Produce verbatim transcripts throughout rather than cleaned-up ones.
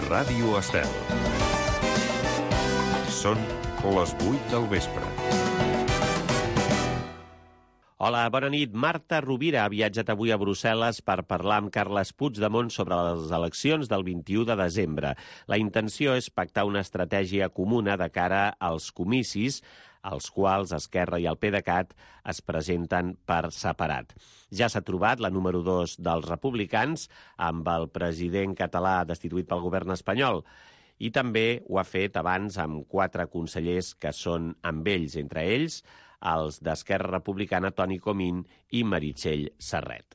Ràdio Estel. Són les vuit del vespre. Hola, bona nit. Marta Rovira ha viatjat avui a Brussel·les per parlar amb Carles Puigdemont sobre les eleccions del vint-i-u de desembre. La intenció és pactar una estratègia comuna de cara als comicis, als quals Esquerra i el PDeCAT es presenten per separat. Ja s'ha trobat la número dos dels republicans amb el president català destituït pel govern espanyol i també ho ha fet abans amb quatre consellers que són amb ells, entre ells els d'Esquerra Republicana Toni Comín i Meritxell Serret.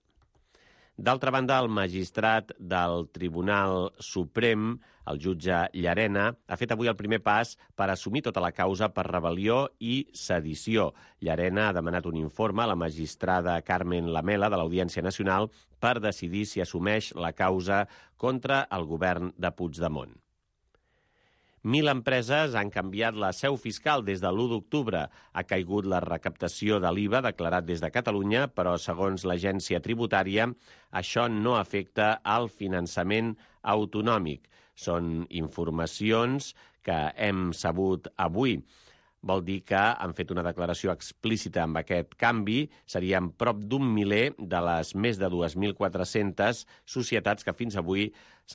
D'altra banda, el magistrat del Tribunal Suprem, el jutge Llarena, ha fet avui el primer pas per assumir tota la causa per rebel·lió i sedició. Llarena ha demanat un informe a la magistrada Carmen Lamela de l'Audiència Nacional per decidir si assumeix la causa contra el govern de Puigdemont. Mil empreses han canviat la seu fiscal des de l'u d'octubre. Ha caigut la recaptació de l'I V A declarat des de Catalunya, però, segons l'agència tributària, això no afecta al finançament autonòmic. Són informacions que hem sabut avui. Vol dir que han fet una declaració explícita amb aquest canvi. Serien prop d'un miler de les més de dos mil quatre-centes societats que fins avui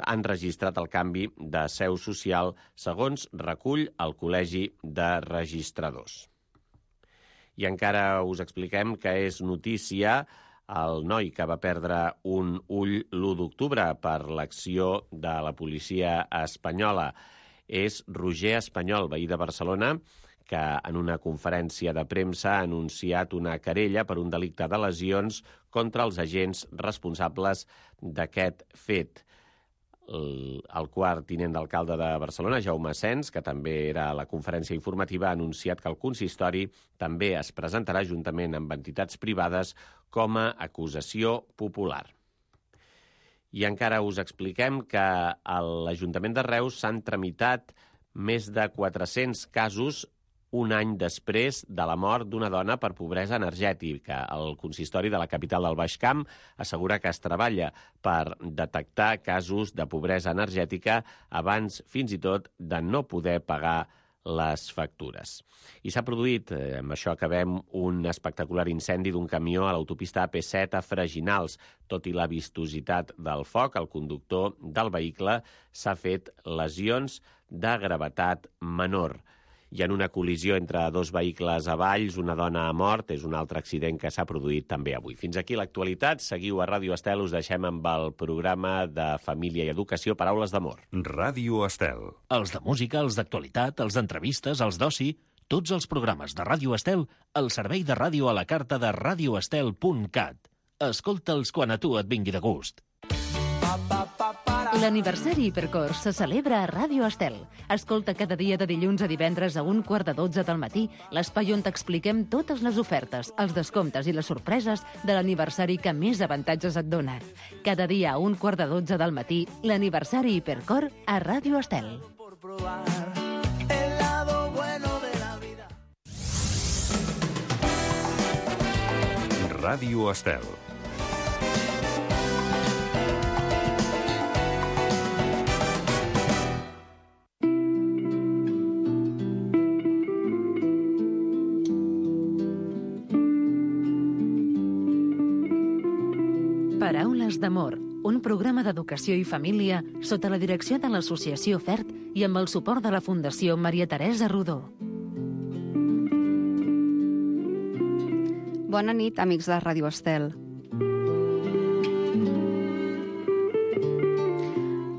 han registrat el canvi de seu social, segons recull el Col·legi de Registradors. I encara us expliquem que és notícia el noi que va perdre un ull l'u d'octubre per l'acció de la policia espanyola. És Roger Espanyol, veí de Barcelona, que en una conferència de premsa ha anunciat una querella per un delicte de lesions contra els agents responsables d'aquest fet. El, el quart tinent d'alcalde de Barcelona, Jaume Sens, que també era a la conferència informativa, ha anunciat que el consistori també es presentarà juntament amb entitats privades com a acusació popular. I encara us expliquem que a l'Ajuntament de Reus s'han tramitat més de quatre-cents casos un any després de la mort d'una dona per pobresa energètica. El consistori de la capital del Baix Camp assegura que es treballa per detectar casos de pobresa energètica abans, fins i tot, de no poder pagar les factures. I s'ha produït, eh, amb això acabem, un espectacular incendi d'un camió a l'autopista A P set a Freginals. Tot i la vistositat del foc, el conductor del vehicle s'ha fet lesions de gravetat menor. I en una col·lisió entre dos vehicles a Valls, una dona ha mort. És un altre accident que s'ha produït també avui. Fins aquí l'actualitat. Seguiu a Ràdio Estel. Us deixem amb el programa de Família i Educació, Paraules d'Amor. Ràdio Estel. Els de música, els d'actualitat, els d'entrevistes, els d'oci, tots els programes de Ràdio Estel al servei de ràdio a la carta de radioestel punt cat. Escolta'ls quan a tu et vingui de gust. L'aniversari Hipercor se celebra a Ràdio Estel. Escolta cada dia de dilluns a divendres a un quart de dotze del matí l'espai on t'expliquem totes les ofertes, els descomptes i les sorpreses de l'aniversari que més avantatges et dona. Cada dia a un quart de dotze del matí, l'aniversari Hipercor a Ràdio Estel. Ràdio Estel. Paraules d'Amor, un programa d'educació i família sota la direcció de l'Associació FERT i amb el suport de la Fundació Maria Teresa Rodó. Bona nit, amics de Ràdio Estel.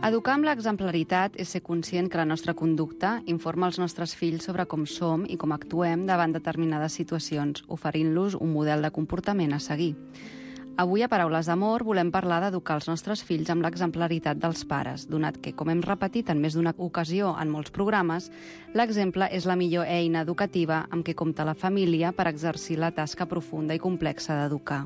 Educar amb l'exemplaritat és ser conscient que la nostra conducta informa els nostres fills sobre com som i com actuem davant determinades situacions, oferint-los un model de comportament a seguir. Avui, a Paraules d'Amor, volem parlar d'educar els nostres fills amb l'exemplaritat dels pares, donat que, com hem repetit en més d'una ocasió en molts programes, l'exemple és la millor eina educativa amb què compta la família per exercir la tasca profunda i complexa d'educar.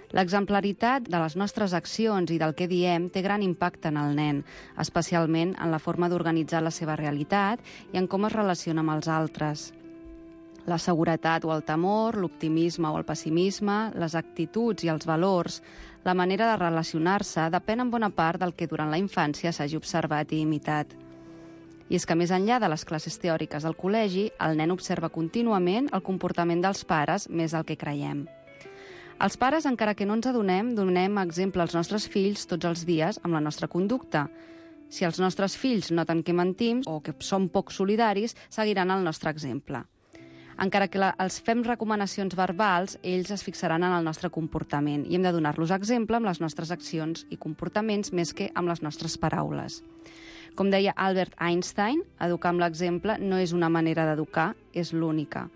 L'exemplaritat de les nostres accions i del que diem té gran impacte en el nen, especialment en la forma d'organitzar la seva realitat i en com es relaciona amb els altres. La seguretat o el temor, l'optimisme o el pessimisme, les actituds i els valors, la manera de relacionar-se depèn en bona part del que durant la infància s'hagi observat i imitat. I és que més enllà de les classes teòriques del col·legi, el nen observa contínuament el comportament dels pares més del que creiem. Els pares, encara que no ens adonem, donem exemple als nostres fills tots els dies amb la nostra conducta. Si els nostres fills noten que mentim o que som poc solidaris, seguiran el nostre exemple. Encara que la, els fem recomanacions verbals, ells es fixaran en el nostre comportament i hem de donar-los exemple amb les nostres accions i comportaments més que amb les nostres paraules. Com deia Albert Einstein, educar amb l'exemple no és una manera d'educar, és l'única.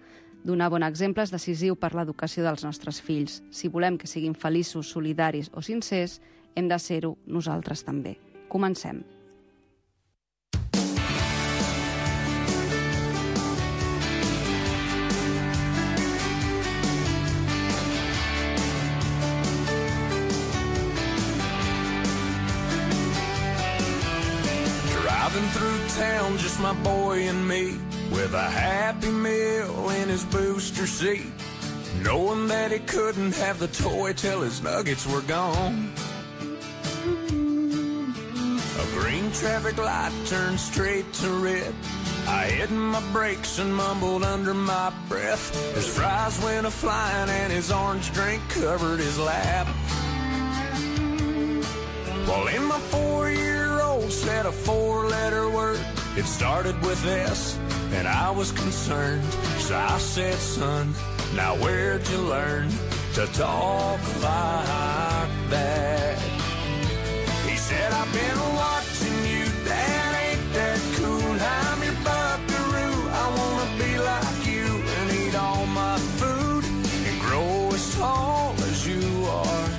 Donar bon exemple és decisiu per l'educació dels nostres fills. Si volem que siguin feliços, solidaris o sincers, hem de ser-ho nosaltres també. Comencem. Driving through town, just my boy and me, with a Happy Meal in his booster seat, knowing that he couldn't have the toy till his nuggets were gone. A green traffic light turned straight to red. I hit my brakes and mumbled under my breath. His fries went a-flying and his orange drink covered his lap. Well, in my four-year-old said a four-letter word. It started with S, and I was concerned. So I said, son, now where'd you learn to talk like that? He said, I've been watching you, Dad, ain't that cool? I'm your buckaroo, I wanna be like you and eat all my food and grow as tall as you are.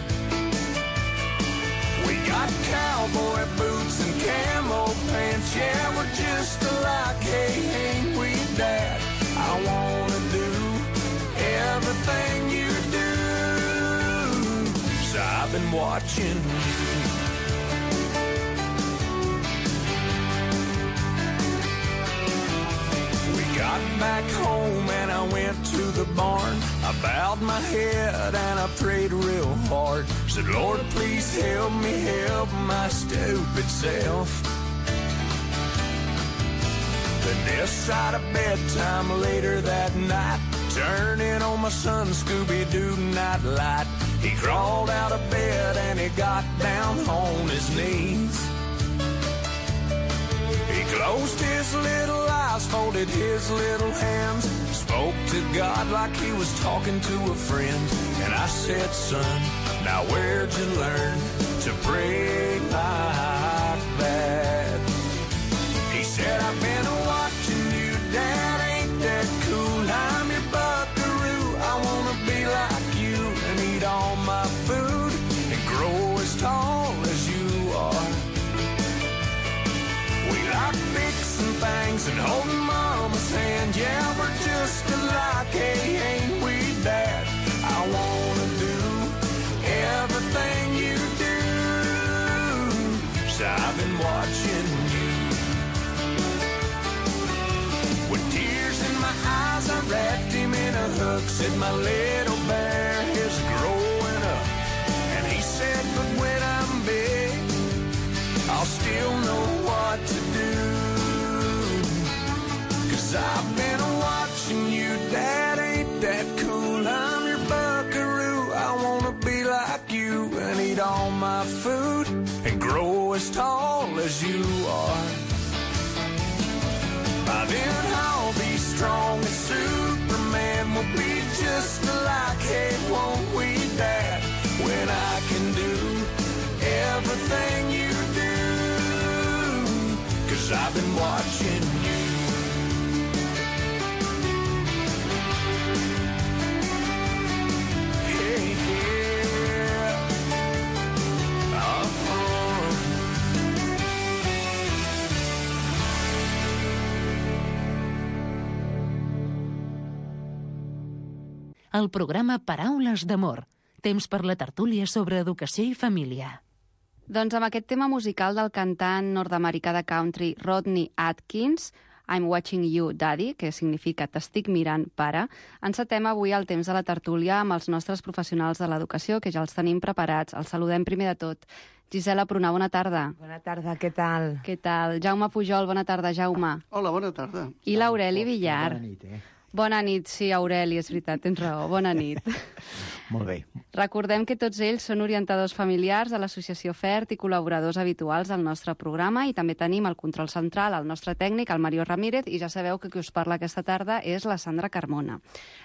We got cowboy boots and camo pants, yeah, we're just alike, hey, ain't we, Dad? I wanna do everything you do, so I've been watching you. We got back home and I went to the barn. I bowed my head and I prayed real hard. Said, Lord, please help me help my stupid self. Then this side of bedtime later that night, turning on my son Scooby-Doo nightlight. He crawled out of bed and he got down on his knees. He closed his little eyes, folded his little hands, spoke to God like he was talking to a friend. And I said, son, now where'd you learn to pray like that? He said, I've been watching you, Dad, ain't that cool? I'm your buckaroo, I wanna be like you and eat all my food and grow as tall as you are. We like fixing things and holding Mama's hand, yeah, we're just alike, hey, ain't we, Dad? I wanna do everything you do, so I've been watching you. With tears in my eyes, I wrapped him in a hook, said my little bear is growing up. And he said, but when I'm big, I'll still know what to do. Cause I've been watching you, Dad, ain't that cool? I'm your buckaroo, I wanna be like you and eat all my food and grow as tall as you are. By then I'll be strong as Superman, we'll be just alike, hey, won't we, Dad? When I can do everything you do, cause I've been watching you. Hey, yeah. Uh-huh. El programa Paraules d'Amor. Temps per la tertúlia sobre educació i família. Doncs amb aquest tema musical del cantant nord-americà de country Rodney Atkins, I'm Watching You, Daddy, que significa T'estic mirant, pare. Encetem avui el temps de la tertúlia amb els nostres professionals de l'educació, que ja els tenim preparats. Els saludem primer de tot. Gisela Prunar, bona tarda. Bona tarda, què tal? Què tal? Jaume Pujol, bona tarda, Jaume. Hola, bona tarda. I l'Aureli Villar. Bona nit, eh? Bona nit, sí, Aureli, és veritat, tens raó. Bona nit. Molt bé. Recordem que tots ells són orientadors familiars de l'Associació FERT i col·laboradors habituals del nostre programa, i també tenim el control central, el nostre tècnic, el Mario Ramírez, i ja sabeu que qui us parla aquesta tarda és la Sandra Carmona.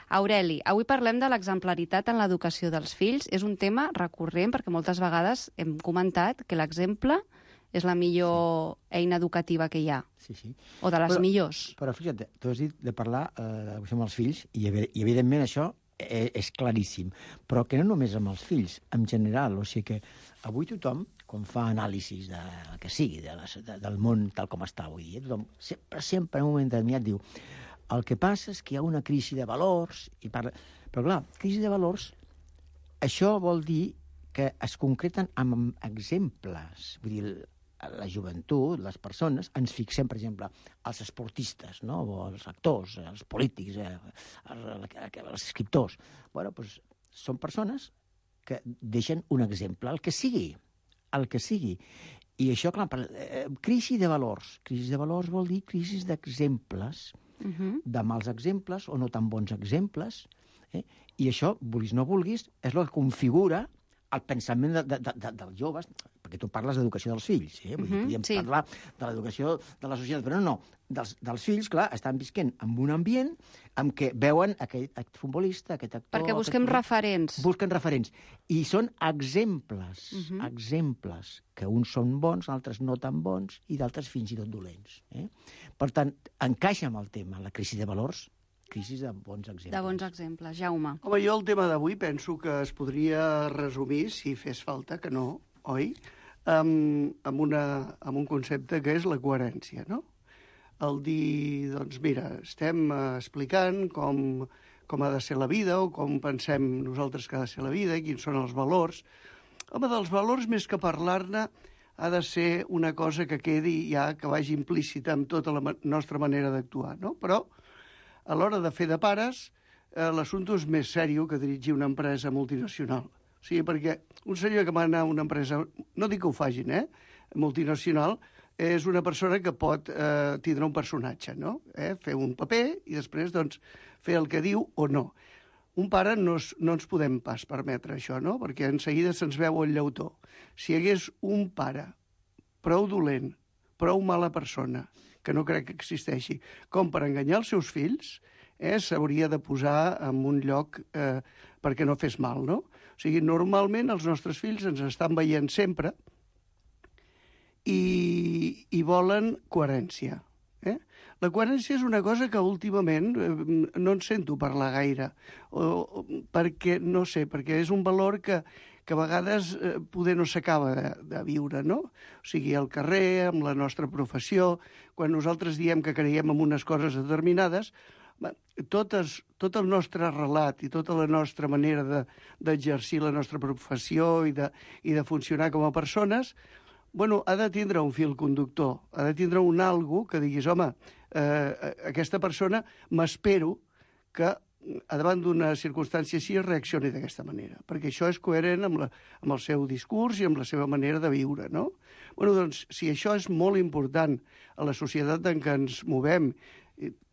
Aureli, avui parlem de l'exemplaritat en l'educació dels fills. És un tema recurrent perquè moltes vegades hem comentat que l'exemple és la millor sí. eina educativa que hi ha. Sí, sí. O de les però, millors. Però fixa't, tu has dit de parlar eh, amb els fills, i, i evidentment això és, és claríssim, però que no només amb els fills, en general. O sigui que avui tothom, quan fa anàlisis de que sigui, de les, de, del món tal com està avui dia, tothom sempre, sempre en un moment determinat diu el que passa és que hi ha una crisi de valors, i parla... però clar, crisi de valors, això vol dir que es concreten amb exemples. Vull dir, la joventut, les persones, ens fixem, per exemple, els esportistes, no? O els actors, els polítics, eh? els, els escriptors. Bueno, doncs són persones que deixen un exemple, el que sigui, el que sigui. I això, clar, per, eh, crisi de valors. Crisi de valors vol dir crisi d'exemples, uh-huh. de mals exemples o no tan bons exemples, eh? I això, vulguis no vulguis, és el que configura el pensament de, de, de, dels joves, perquè tu parles d'educació dels fills, eh? Vull dir, podríem sí. parlar de l'educació de la societat, però no, no. Dels, dels fills, clar, estan visquent en un ambient en què veuen aquest, aquest futbolista, aquest actor... Perquè busquem aquest... referents. Busquen referents. I són exemples, uh-huh. exemples, que uns són bons, altres no tan bons, i d'altres fins i tot dolents. Eh? Per tant, encaixa amb el tema, la crisi de valors, crisi de bons exemples. De bons exemples. Jaume. Home, jo el tema d'avui penso que es podria resumir, si fes falta, que no, oi? Amb, amb, una, amb un concepte que és la coherència, no? El dir, doncs mira, estem explicant com, com ha de ser la vida o com pensem nosaltres que ha de ser la vida i quins són els valors. Home, dels valors, més que parlar-ne, ha de ser una cosa que quedi ja, que vagi implícita amb tota la ma- nostra manera d'actuar, no? Però a l'hora de fer de pares, eh, l'assumpte és més sèrio que dirigir una empresa multinacional. O sigui, perquè un senyor que mana una empresa, no dic que ho fagin, eh? multinacional, és una persona que pot eh, tindre un personatge, no? Eh? Fer un paper i després doncs, fer el que diu o no. Un pare no, es, no ens podem pas permetre això, no? Perquè en seguida se'ns veu el llautó. Si hi hagués un pare prou dolent, prou mala persona, que no crec que existeixi, com per enganyar els seus fills, eh, s'hauria de posar en un lloc eh, perquè no fes mal, no? O sigui, normalment els nostres fills ens estan veient sempre i, i volen coherència. Eh? La coherència és una cosa que últimament eh, no en sento parlar gaire, o, o, perquè, no sé, perquè és un valor que, que a vegades eh, poder no s'acaba de, de viure, no? O sigui, al carrer, amb la nostra professió, quan nosaltres diem que creiem en unes coses determinades, totes, tot el nostre relat i tota la nostra manera de, d'exercir la nostra professió i de, i de funcionar com a persones, bueno, ha de tindre un fil conductor, ha de tindre un algo que diguis, home, eh, aquesta persona m'espero que a davant d'una circumstància així reaccioni d'aquesta manera, perquè això és coherent amb, la, amb el seu discurs i amb la seva manera de viure, no? Bueno, doncs, si això és molt important a la societat en què ens movem,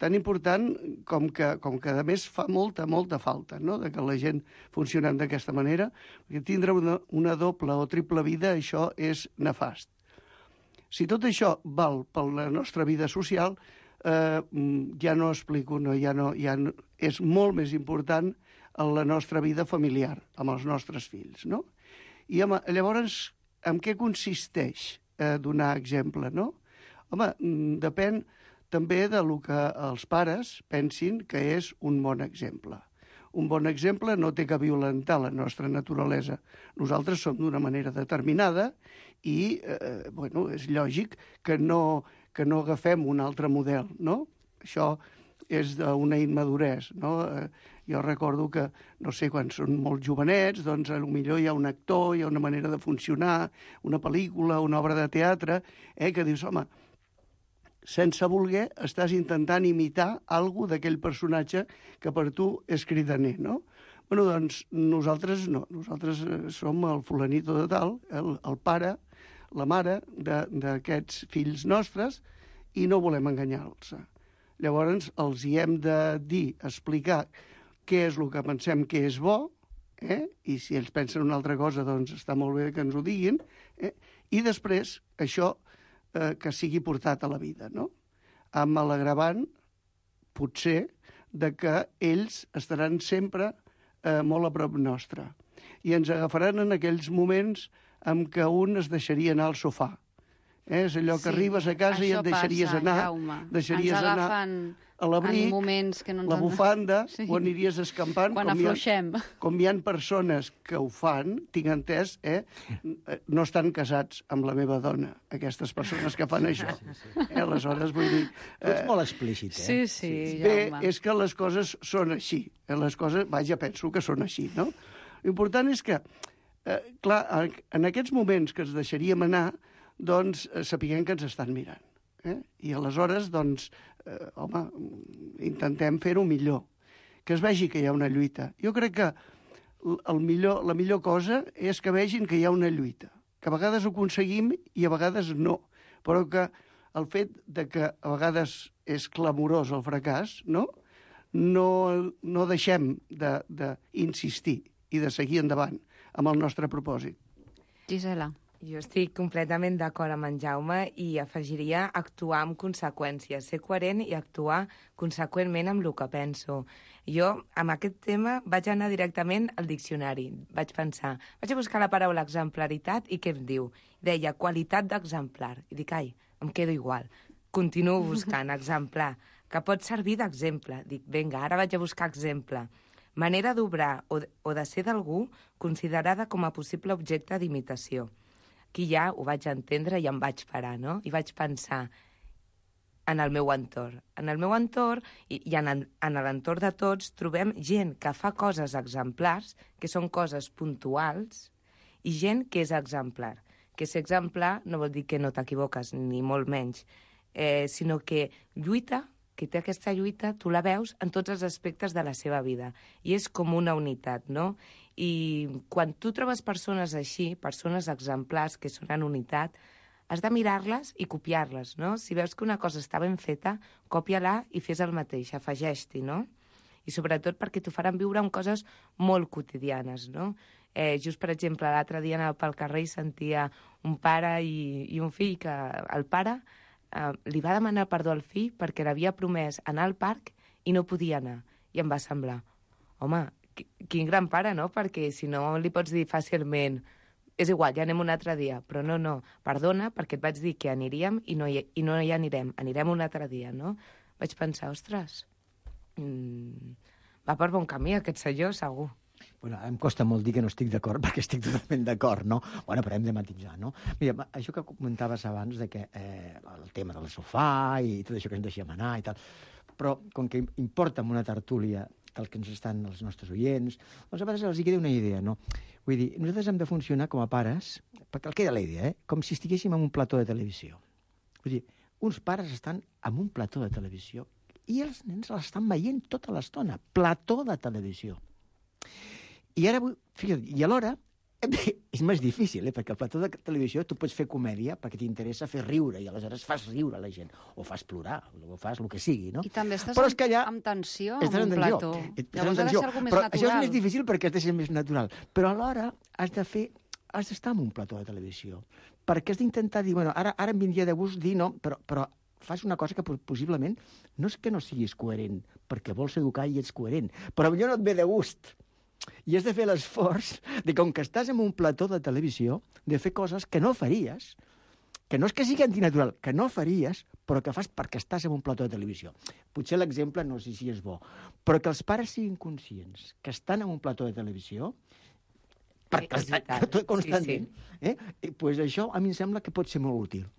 tan important com que, com que a més fa molta, molta falta, no?, de que la gent funcionem d'aquesta manera, perquè tindre una, una doble o triple vida, això és nefast. Si tot això val per la nostra vida social, eh, ja no explico, no, ja no, ja no, és molt més important en la nostra vida familiar, amb els nostres fills, no? I home, llavors, en què consisteix eh, donar exemple, no? Home, depèn també de lo que els pares pensin que és un bon exemple. Un bon exemple no té que violentar la nostra naturalesa. Nosaltres som d'una manera determinada i, eh, bueno, és lògic que no, que no agafem un altre model, no? Això és d'una immaduresa, no? Eh, jo recordo que, no sé, quan són molt jovenets, doncs potser hi ha un actor, hi ha una manera de funcionar, una pel·lícula, una obra de teatre, eh, que dius, home, sense voler, estàs intentant imitar alguna d'aquell personatge que per tu és cridaner, no? Bueno, doncs nosaltres no. Nosaltres som el fulanito de tal, el, el pare, la mare d'aquests fills nostres, i no volem enganyar-los. Llavors els hi hem de dir, explicar què és el que pensem que és bo, eh? I si ells pensen una altra cosa, doncs està molt bé que ens ho diguin, eh? I després això eh, que sigui portat a la vida, no? Amb l'agravant, potser, de que ells estaran sempre eh, molt a prop nostre. I ens agafaran en aquells moments en què un es deixaria anar al sofà. Eh? És allò que sí, arribes a casa i et deixaries passa, anar, Jaume. deixaries ens anar a l'abric, que no la bufanda, sí. o aniries escampant. Quan com afluixem. Hi ha, com hi ha persones que ho fan, tinc entès, eh? no estan casats amb la meva dona, aquestes persones que fan això. Eh? Aleshores, vull dir... Tu ets molt explícit, eh? Sí, sí, Bé, Jaume. és que les coses són així. Les coses, vaja, penso que són així, no? L'important és que, eh, clar, en aquests moments que ens deixaríem anar, doncs eh, sapiguem que ens estan mirant. Eh? I aleshores, doncs, eh, home, intentem fer-ho millor. Que es vegi que hi ha una lluita. Jo crec que el millor, la millor cosa és que vegin que hi ha una lluita. Que a vegades ho aconseguim i a vegades no. Però que el fet de que a vegades és clamorós el fracàs, no? No, no deixem d'insistir i de seguir endavant amb el nostre propòsit. Gisela. Jo estic completament d'acord amb en Jaume i afegiria actuar amb conseqüències, ser coherent i actuar conseqüentment amb el que penso. Jo, amb aquest tema, vaig anar directament al diccionari. Vaig pensar, vaig a buscar la paraula exemplaritat i què em diu? Deia, qualitat d'exemplar. I dic, ai, em quedo igual. Continuo buscant exemplar, que pot servir d'exemple. Dic, vinga, ara vaig a buscar exemple. Manera d'obrar o, o de ser d'algú considerada com a possible objecte d'imitació. Aquí ja ho vaig entendre i em vaig parar, no? I vaig pensar en el meu entorn. En el meu entorn i, i en, en l'entorn de tots trobem gent que fa coses exemplars, que són coses puntuals, i gent que és exemplar. Que ser exemplar no vol dir que no t'equivoques, ni molt menys, eh, sinó que lluita, que té aquesta lluita, tu la veus en tots els aspectes de la seva vida. I és com una unitat, no? I quan tu trobes persones així, persones exemplars que són en unitat, has de mirar-les i copiar-les, no? Si veus que una cosa està ben feta, còpia-la i fes el mateix, afegeix-t'hi, no? I sobretot perquè t'ho faran viure amb coses molt quotidianes, no? Eh, just, per exemple, l'altre dia anava pel carrer i sentia un pare i, i un fill que el pare eh, li va demanar perdó al fill perquè l'havia promès anar al parc i no podia anar. I em va semblar, home, quin gran pare, no? Perquè si no li pots dir fàcilment és igual, ja anem un altre dia. Però no, no, perdona, perquè et vaig dir que aniríem i no hi, i no hi anirem. Anirem un altre dia, no? Vaig pensar, ostres, mmm, va per bon camí aquest senyor, segur. Bueno, em costa molt dir que no estic d'acord, perquè estic totalment d'acord, no? Bueno, però hem de matisar, no? Mira, això que comentaves abans, de que eh, el tema del sofà i tot això que ens deixem anar i tal, però com que importa en una tertúlia el que ens estan els nostres oients, doncs a vegades els hi queda una idea, no? Vull dir, nosaltres hem de funcionar com a pares, perquè el queda la idea, eh? Com si estiguéssim en un plató de televisió. Vull dir, uns pares estan en un plató de televisió i els nens l'estan veient tota l'estona. Plató de televisió. I ara, fixa't, i alhora, és més difícil, eh? Perquè al plató de televisió tu pots fer comèdia perquè t'interessa fer riure i aleshores fas riure la gent, o fas plorar, o fas el que sigui, no? I també estàs però és que allà, amb tensió en en un plató. Llavors ha de ser alguna més però natural. Això és més difícil perquè has de ser més natural. Però alhora has de fer, has d'estar en un plató de televisió. Perquè has d'intentar dir, bueno, ara, ara em vindria de gust dir no, però, però fas una cosa que possiblement no és que no siguis coherent, perquè vols educar i ets coherent, però millor no et ve de gust. I has de fer l'esforç de, com que estàs en un plató de televisió, de fer coses que no faries, que no és que sigui antinatural, que no faries, però que fas perquè estàs en un plató de televisió. Potser l'exemple no sé si és bo, però que els pares siguin conscients que estan en un plató de televisió, perquè sí, estan tot constantment, sí, sí. Eh? I, pues això a mi em sembla que pot ser molt útil.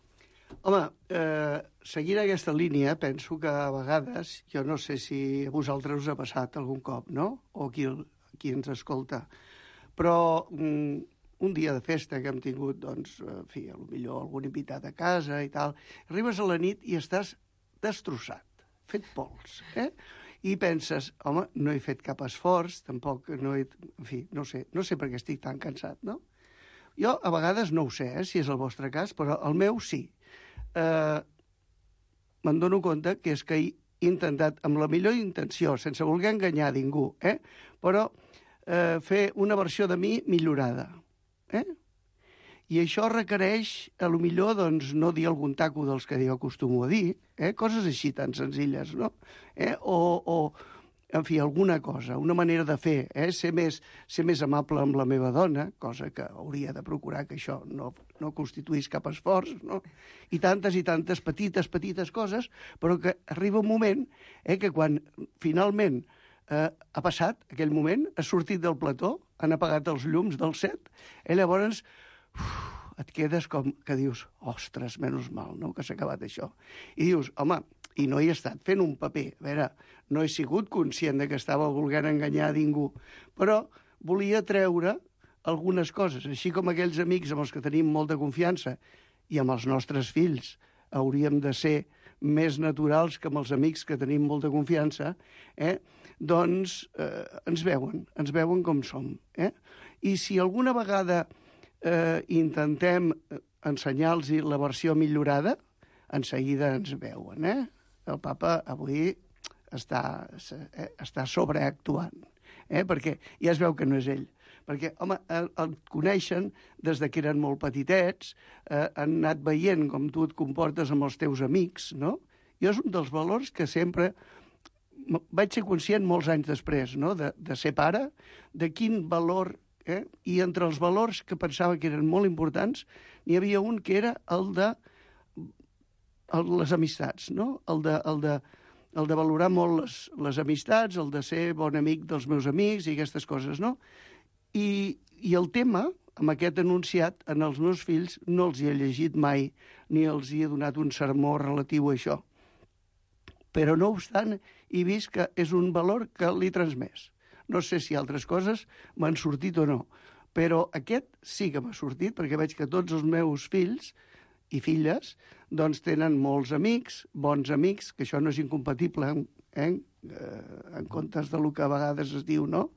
Home, eh, seguint aquesta línia, penso que a vegades, jo no sé si a vosaltres us ha passat algun cop, no? O qui, qui ens escolta, però mm, un dia de festa que hem tingut, doncs, en fi, potser algun invitat a casa i tal, arribes a la nit i estàs destrossat, fet pols, eh? I penses, home, no he fet cap esforç, tampoc no he... En fi, no sé, no sé per què estic tan cansat, no? Jo a vegades no ho sé, eh, si és el vostre cas, però el meu sí. Eh, me'n dono compte que és que he intentat, amb la millor intenció, sense voler enganyar ningú, eh, però eh, fer una versió de mi millorada, eh? I això requereix, a lo millor, doncs, no dir algun taco dels que jo acostumo a dir, eh? Coses així tan senzilles, no? Eh? O, o, en fi, alguna cosa, una manera de fer, eh? Ser més, ser més amable amb la meva dona, cosa que hauria de procurar que això no, no constituís cap esforç, no? I tantes i tantes petites, petites coses, però que arriba un moment eh, que quan finalment eh, ha passat aquell moment, has sortit del plató, han apagat els llums del set, eh, llavors uf, et quedes com que dius, ostres, menys mal, no?, que s'ha acabat això. I dius, home, i no hi he estat fent un paper. A veure, no he sigut conscient de que estava volent enganyar a ningú, però volia treure algunes coses, així com aquells amics amb els que tenim molta confiança i amb els nostres fills hauríem de ser més naturals que amb els amics que tenim molta confiança, eh? doncs eh, ens veuen, ens veuen com som. Eh? I si alguna vegada eh, intentem ensenyar-los la versió millorada, en seguida ens veuen, eh? El papa avui està, està sobreactuant, eh? Perquè ja es veu que no és ell. Perquè, home, el, el coneixen des de que eren molt petitets, eh, han anat veient com tu et comportes amb els teus amics, no? Jo és un dels valors que sempre vaig ser conscient molts anys després, no?, de, de ser pare, de quin valor, eh? I entre els valors que pensava que eren molt importants, n'hi havia un que era el de el, les amistats, no? El de, el de, el de valorar molt les, les amistats, el de ser bon amic dels meus amics i aquestes coses, no? I, i el tema, amb aquest enunciat, en els meus fills no els hi he llegit mai, ni els hi he donat un sermó relatiu a això. Però, no obstant, he vist que és un valor que l'he transmès. No sé si altres coses m'han sortit o no, però aquest sí que m'ha sortit, perquè veig que tots els meus fills i filles doncs tenen molts amics, bons amics, que això no és incompatible eh? en comptes del que a vegades es diu, no?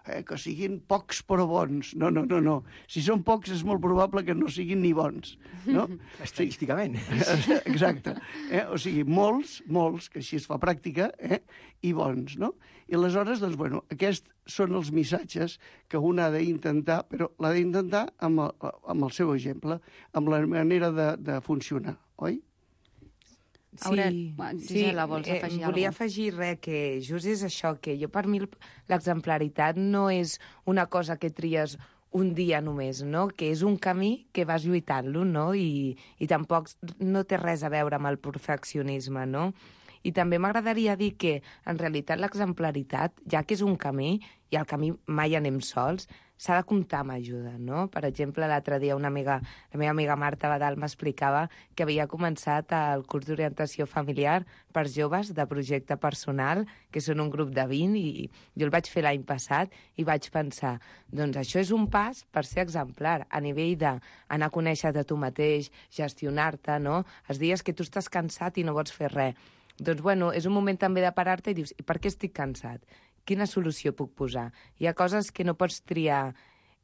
Eh, que siguin pocs però bons. No, no, no, no. Si són pocs és molt probable que no siguin ni bons. No? Estadísticament. Exacte. Eh? O sigui, molts, molts, que així es fa pràctica, eh? I bons, no? I aleshores, doncs, bueno, aquests són els missatges que un ha d'intentar, però l'ha d'intentar amb, el, amb el seu exemple, amb la manera de, de funcionar, oi? Sí, Aurel, Gisela, vols sí, afegir eh, volia alguna cosa? afegir res, que just és això, que jo per mi l'exemplaritat no és una cosa que tries un dia només, no? Que és un camí que vas lluitant-lo, no? I, i tampoc no té res a veure amb el perfeccionisme, no? I també m'agradaria dir que, en realitat, l'exemplaritat, ja que és un camí, i al camí mai anem sols, s'ha de comptar amb ajuda, no? Per exemple, l'altre dia una amiga, la meva amiga Marta Badal m'explicava que havia començat el curs d'orientació familiar per joves de projecte personal, que són un grup de vint, i jo el vaig fer l'any passat i vaig pensar, doncs això és un pas per ser exemplar, a nivell d'anar a conèixer-te a tu mateix, gestionar-te, no? Els dies que tu estàs cansat i no vols fer res. Doncs, bueno, és un moment també de parar-te i dius, i per què estic cansat? Quina solució puc posar? Hi ha coses que no pots triar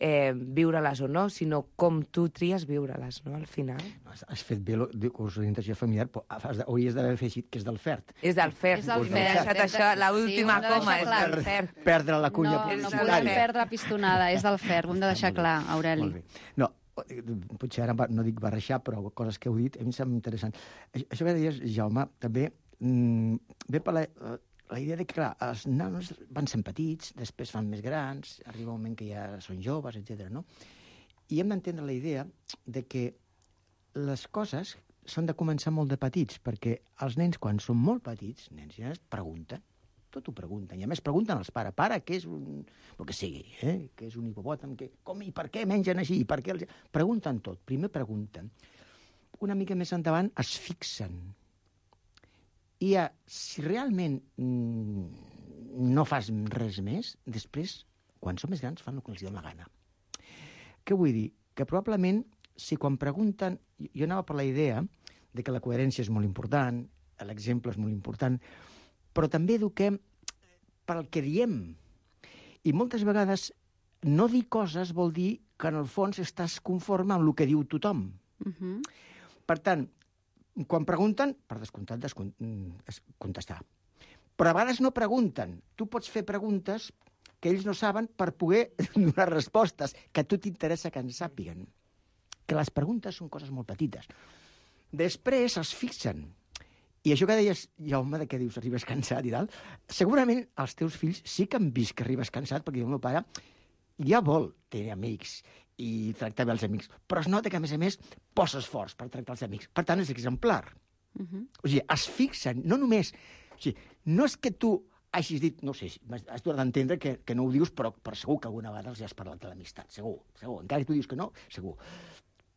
eh, viure-les o no, sinó com tu tries viure-les, no?, al final. Has fet bé el curs d'orientació familiar, però hauries d'haver afegit que és del F E R T. És del F E R T. És del M'he deixat això, l'última sí, coma, és clar. del F E R T. Perdre la cunya No, no publicitària. volem perdre pistonada, és del F E R T, ho hem de deixar clar, Aureli. Molt bé. No, potser ara no dic barrejar, però coses que heu dit a mi em sembla interessant. Això que deies, Jaume, també mmm, ve per la, la idea de que, clar, els nanos van sent petits, després fan més grans, arriba un moment que ja són joves, etcètera, no? I hem d'entendre la idea de que les coses s'han de començar molt de petits, perquè els nens, quan són molt petits, nens i nenes, pregunten, tot ho pregunten, i a més pregunten als pares, pare, què és un... el que sigui, eh? Què és un hipopòtam, què... com i per què mengen així, i per què... Els... Pregunten tot, primer pregunten. Una mica més endavant es fixen. I ja, si realment mm, no fas res més, després, quan són més grans, fan el que els dona la gana. Què vull dir? Que probablement, si quan pregunten... Jo anava per la idea de que la coherència és molt important, l'exemple és molt important, però també eduquem pel que diem. I moltes vegades no dir coses vol dir que en el fons estàs conforme amb el que diu tothom. Uh-huh. Per tant, quan pregunten, per descomptat, descont... contestar. Però a vegades no pregunten. Tu pots fer preguntes que ells no saben per poder donar respostes que a tu t'interessa que en sàpiguen. Que les preguntes són coses molt petites. Després es fixen. I això que deies, Jaume, de què dius, arribes cansat i tal, segurament els teus fills sí que han vist que arribes cansat, perquè el meu pare ja vol tenir amics i tractar bé els amics, però es nota que, a més a més, posa esforç per tractar els amics. Per tant, és exemplar. Uh-huh. O sigui, es fixen, no només... O sigui, no és que tu hagis dit, no sé, has d'entendre que, que no ho dius, però, però segur que alguna vegada els has parlat de l'amistat, segur, segur. Encara que tu dius que no, segur.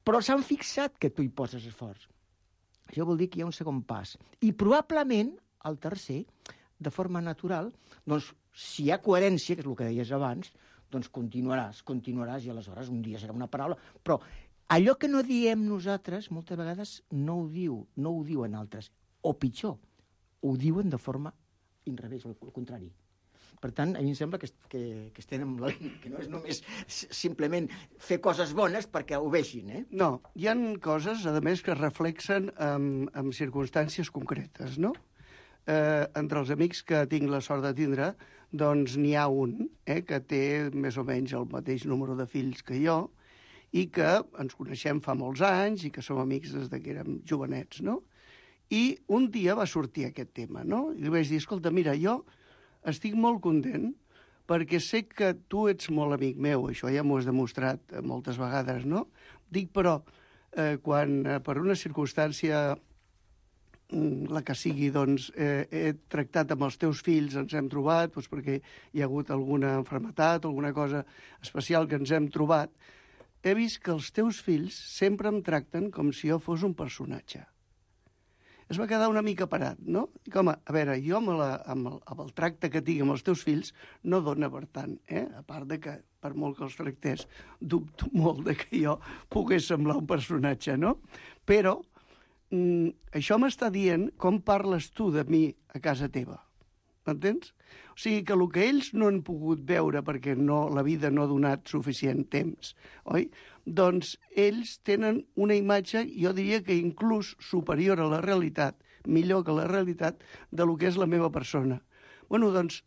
Però s'han fixat que tu hi poses esforç. Això vol dir que hi ha un segon pas. I probablement, el tercer, de forma natural, doncs, si hi ha coherència, que és el que deies abans, doncs continuaràs, continuaràs, i aleshores un dia serà una paraula. Però allò que no diem nosaltres, moltes vegades no ho diu, no ho diuen altres. O pitjor, ho diuen de forma inrevés, o al contrari. Per tant, a mi em sembla que, que, que estem amb la línia, que no és només simplement fer coses bones perquè ho vegin, eh? No, hi han coses, a més, que es reflexen en, en circumstàncies concretes, no? Eh, entre els amics que tinc la sort de tindre, doncs n'hi ha un eh, que té més o menys el mateix número de fills que jo i que ens coneixem fa molts anys i que som amics des que érem jovenets, no? I un dia va sortir aquest tema, no? I li vaig dir, escolta, mira, jo estic molt content perquè sé que tu ets molt amic meu, això ja m'ho has demostrat moltes vegades, no? Dic, però, eh, quan eh, per una circumstància, la que sigui, doncs, eh, he tractat amb els teus fills, ens hem trobat, doncs, perquè hi ha hagut alguna malaltia, alguna cosa especial que ens hem trobat, he vist que els teus fills sempre em tracten com si jo fos un personatge. Es va quedar una mica parat, no? I com, a veure, jo amb, la, amb, el, amb el tracte que tinc amb els teus fills no dona per tant, eh? A part de que, per molt que els tractés, dubto molt de que jo pogués semblar un personatge, no? Però mm, això m'està dient com parles tu de mi a casa teva, m'entens? O sigui que el que ells no han pogut veure perquè no, la vida no ha donat suficient temps, oi? Doncs ells tenen una imatge, jo diria que inclús superior a la realitat, millor que la realitat, de lo que és la meva persona. Bueno, doncs,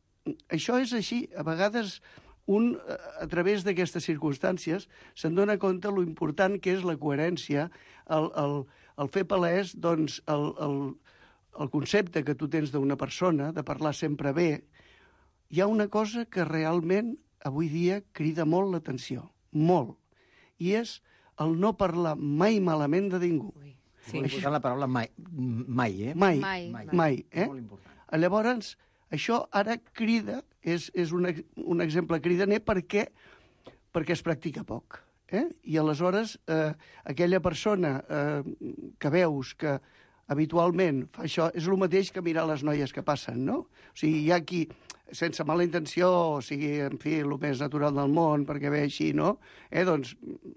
això és així. A vegades, un, a través d'aquestes circumstàncies, se'n dona compte lo important que és la coherència, el, el, el fer palès, doncs, el, el, el concepte que tu tens d'una persona, de parlar sempre bé. Hi ha una cosa que realment, avui dia, crida molt l'atenció, molt. I és el no parlar mai malament de ningú. Sí. Molt important la paraula mai, mai eh? Mai, mai, mai, mai eh? Molt important. Llavors, això ara crida, és, és un, un exemple cridaner perquè, perquè es practica poc. Eh? I aleshores, eh, aquella persona eh, que veus que habitualment fa això, és el mateix que mirar les noies que passen, no? O sigui, hi ha qui, sense mala intenció, o sigui, en fi, el més natural del món, perquè ve així, no? Eh, doncs,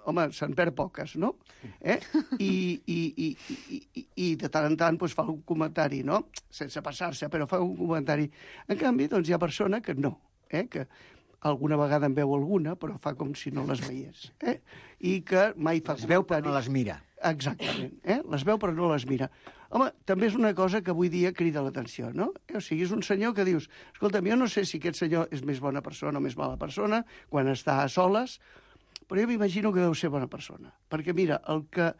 home, se'n perd poques, no? Eh? I, i, i, i, i, i de tant en tant pues, fa un comentari, no? Sense passar-se, però fa un comentari. En canvi, doncs, hi ha persona que no, eh? Que alguna vegada en veu alguna, però fa com si no les veiés. Eh? I que mai fa les veu però no les mira. Exactament, eh? Les veu però no les mira. Home, també és una cosa que avui dia crida l'atenció, no? O sigui, és un senyor que dius, escolta'm, jo no sé si aquest senyor és més bona persona o més mala persona quan està a soles, però jo m'imagino que deu ser bona persona. Perquè, mira, el que,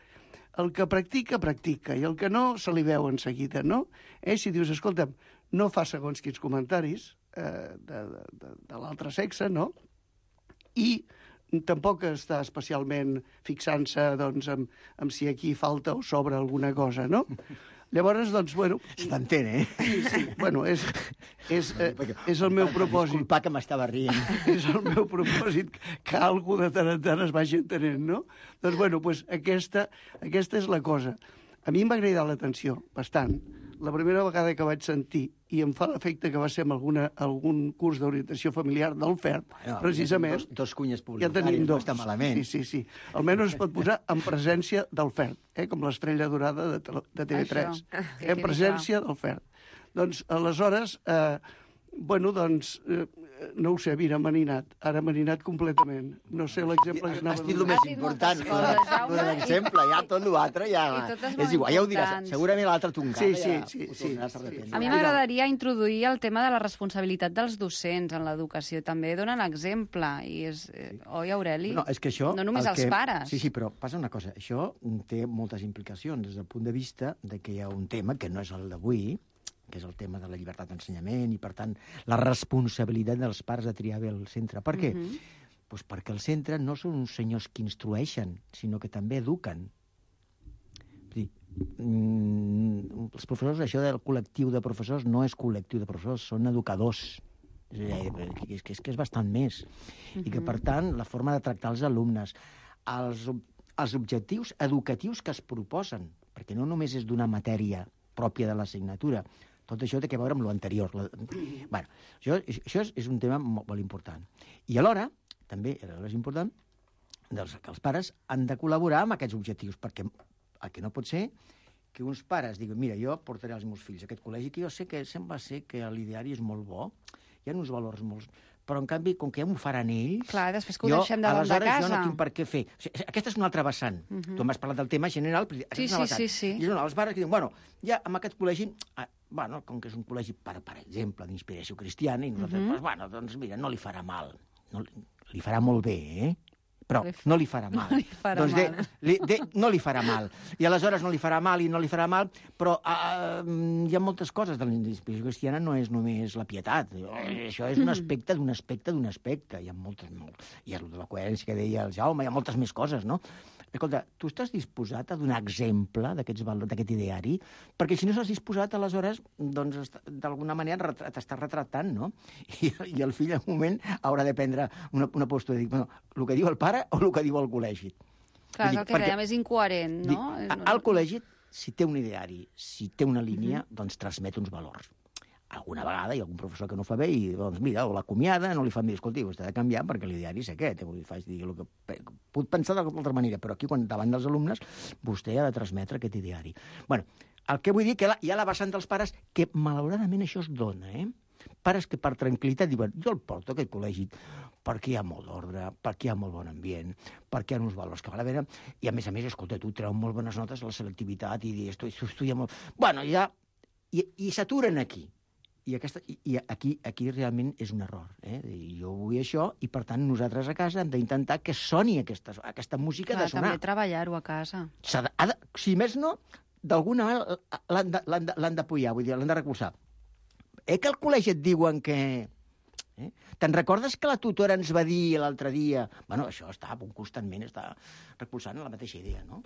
el que practica, practica, i el que no, se li veu en seguida, no? Eh? Si dius, escolta'm, no fa segons quins comentaris eh, de, de, de, de l'altre sexe, no? I tampoc està especialment fixant-se doncs, en, en si aquí falta o sobra alguna cosa, no? Llavors, doncs, bueno... S'entén, eh? Sí, sí, bueno, és, és, eh, és el meu propòsit. Disculpa que m'estava rient. És el meu propòsit que algú de tant en tant es vagi entenent, no? Doncs, bueno, pues aquesta, aquesta és la cosa. A mi em va cridar l'atenció, bastant, la primera vegada que vaig sentir, i em fa l'efecte que va ser amb alguna, algun curs d'orientació familiar del F E R, bueno, precisament... Dos, dos cunyes ja publicitàries, tenim dos. no està malament. Sí, sí, sí. Almenys es pot posar en presència del F E R, eh? Com l'estrella dorada de, de T V tres. Això, en presència del F E R. Doncs, aleshores, eh, bueno, doncs, eh, no ho sé, mira, m'ha ninat. Ara m'ha ninat completament. No sé l'exemple que anava... Has dit el més important, de l'exemple, ja tot l'altre ja... És igual, ja ho diràs. Segurament l'altre tu encara sí, sí, sí, sí, sí. A mi m'agradaria introduir el tema de la responsabilitat dels docents en l'educació. També donen exemple. I és, eh, oi, Aureli? No, és que això... No només els que... pares. Sí, sí, però passa una cosa. Això té moltes implicacions des del punt de vista de que hi ha un tema que no és el d'avui, que és el tema de la llibertat d'ensenyament i, per tant, la responsabilitat dels pares de triar bé el centre. Per què? Uh-huh. Pues perquè el centre no són uns senyors que instrueixen, sinó que també eduquen. És dir, mm, els professors, això del col·lectiu de professors no és col·lectiu de professors, són educadors. És, dir, és, que, és que és bastant més. Uh-huh. I que, per tant, la forma de tractar els alumnes, els, els objectius educatius que es proposen, perquè no només és d'una matèria pròpia de l'assignatura, tot això té a veure amb l'anterior. La... Bueno, això, això és, és un tema molt, molt important. I alhora, també és important, doncs, que els pares han de col·laborar amb aquests objectius, perquè el que no pot ser que uns pares diguin, mira, jo portaré els meus fills a aquest col·legi, que jo sé que sembla ser que l'ideari és molt bo, hi ha uns valors molt... Però, en canvi, com que ja m'ho faran ells... Clar, després que ho deixem davant de casa... Jo no tinc per què fer. O sigui, aquesta és una altra vessant. Uh -huh. Tu m'has parlat del tema general, però aquesta sí, és una sí, vessant. sí, sí. I no, els pares que diuen, bueno, ja amb aquest col·legi... Ah, bueno, com que és un col·legi, per, per exemple, d'inspiració cristiana, i nosaltres, uh -huh. doncs, bueno, doncs mira, no li farà mal. No, li farà molt bé, eh? Però no li farà mal. No li farà doncs mal. De, li, de, no li farà mal. I aleshores no li farà mal i no li farà mal, però uh, hi ha moltes coses de la inspiració cristiana, no és només la pietat. Això és un aspecte d'un aspecte d'un aspecte. Hi ha moltes... Molt, hi ha la coherència que deia el Jaume, hi ha moltes més coses, no? Escolta, tu estàs disposat a donar exemple d'aquest ideari? Perquè si no estàs disposat, aleshores, doncs, d'alguna manera t'estàs retratant, no? I, I el fill, en un moment, haurà de prendre una, una postura i dir, bueno, el que diu el pare o el que diu el col·legi? Clar, és el que perquè, dèiem, és incoherent, no? Dic, al col·legi, si té un ideari, si té una línia, uh-huh. doncs transmet uns valors. Alguna vegada hi ha algun professor que no fa bé i, doncs, mira, o l'acomiada, no li fa bé, escolti, vostè ha de canviar perquè l'ideari és aquest. Vull dir, faig dir el que... Puc pensar d'altra manera, però aquí, quan davant dels alumnes, vostè ha de transmetre aquest ideari. Bueno, el que vull dir que hi ha la vessant dels pares que, malauradament, això es dona, eh? Pares que per tranquil·litat diuen, jo el porto a aquest col·legi perquè hi ha molt d'ordre, perquè hi ha molt bon ambient, perquè hi ha uns valors que val a veure, i a més a més, escolta, tu treu molt bones notes a la selectivitat i dius, estudia molt... Bueno, ja... I, i s'aturen aquí. I, aquesta, i aquí, aquí realment és un error. Eh? Jo vull això i, per tant, nosaltres a casa hem d'intentar que soni aquesta, aquesta música Clar, de sonar. També treballar-ho a casa. De, de, si més no, d'alguna manera l'han de, l'han de, l'han d'apoyar, vull dir, l'han de recolzar. Eh que al col·legi et diuen que... Eh? Te'n recordes que la tutora ens va dir l'altre dia... Bueno, això està constantment, està recolzant la mateixa idea, no?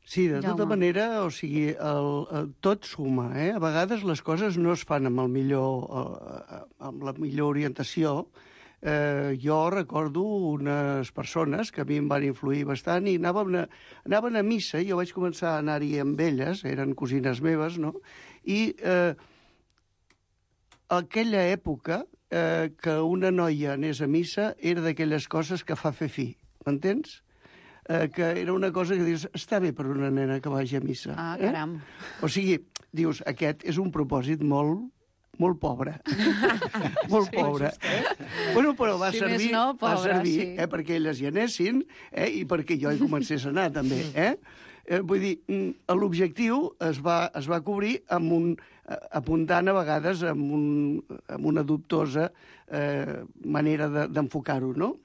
Sí, de tota manera, o sigui, el, el, tot suma, eh? A vegades les coses no es fan amb, el millor, eh, amb la millor orientació. Eh, jo recordo unes persones que a mi em van influir bastant i anaven a, anaven a missa, jo vaig començar a anar-hi amb elles, eren cosines meves, no? I eh, aquella època eh, que una noia anés a missa era d'aquelles coses que fa fer fi, m'entens? Eh, que era una cosa que dius, està bé per una nena que vagi a missa. Ah, caram. Eh? O sigui, dius, aquest és un propòsit molt, molt pobre. molt sí, pobre. Eh? Bueno, però va si servir, no, pobre, va servir sí. eh, perquè elles hi anessin eh, i perquè jo hi comencés a anar, també. Eh? Eh, vull dir, l'objectiu es va, es va cobrir amb un, apuntant a vegades amb, un, amb una dubtosa eh, manera de, d'enfocar-ho, no?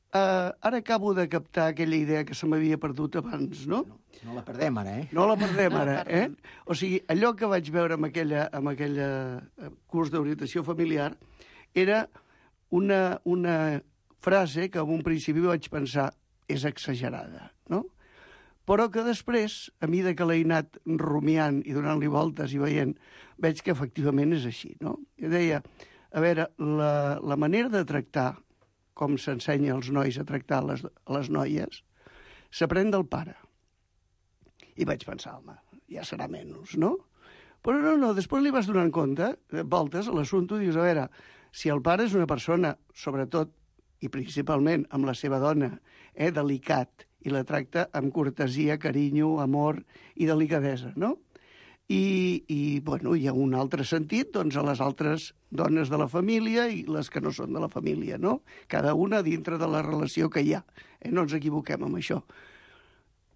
Uh, ara acabo de captar aquella idea que se m'havia perdut abans, no? No, no la perdem ara, eh? No la perdem ara, eh? O sigui, allò que vaig veure amb aquella, amb aquella curs d'orientació familiar era una, una frase que en un principi vaig pensar és exagerada, no? Però que després, a mesura que l'he anat rumiant i donant-li voltes i veient, veig que efectivament és així, no? I deia, a veure, la, la manera de tractar com s'ensenya als nois a tractar les, les noies, s'aprèn del pare. I vaig pensar, home, ja serà menys, no? Però no, no, després li vas donant compte, voltes a l'assumpte, dius, a veure, si el pare és una persona, sobretot i principalment amb la seva dona, eh, delicat, i la tracta amb cortesia, carinyo, amor i delicadesa, no? I, i bueno, hi ha un altre sentit doncs, a les altres dones de la família i les que no són de la família, no? Cada una dintre de la relació que hi ha. Eh? No ens equivoquem amb això.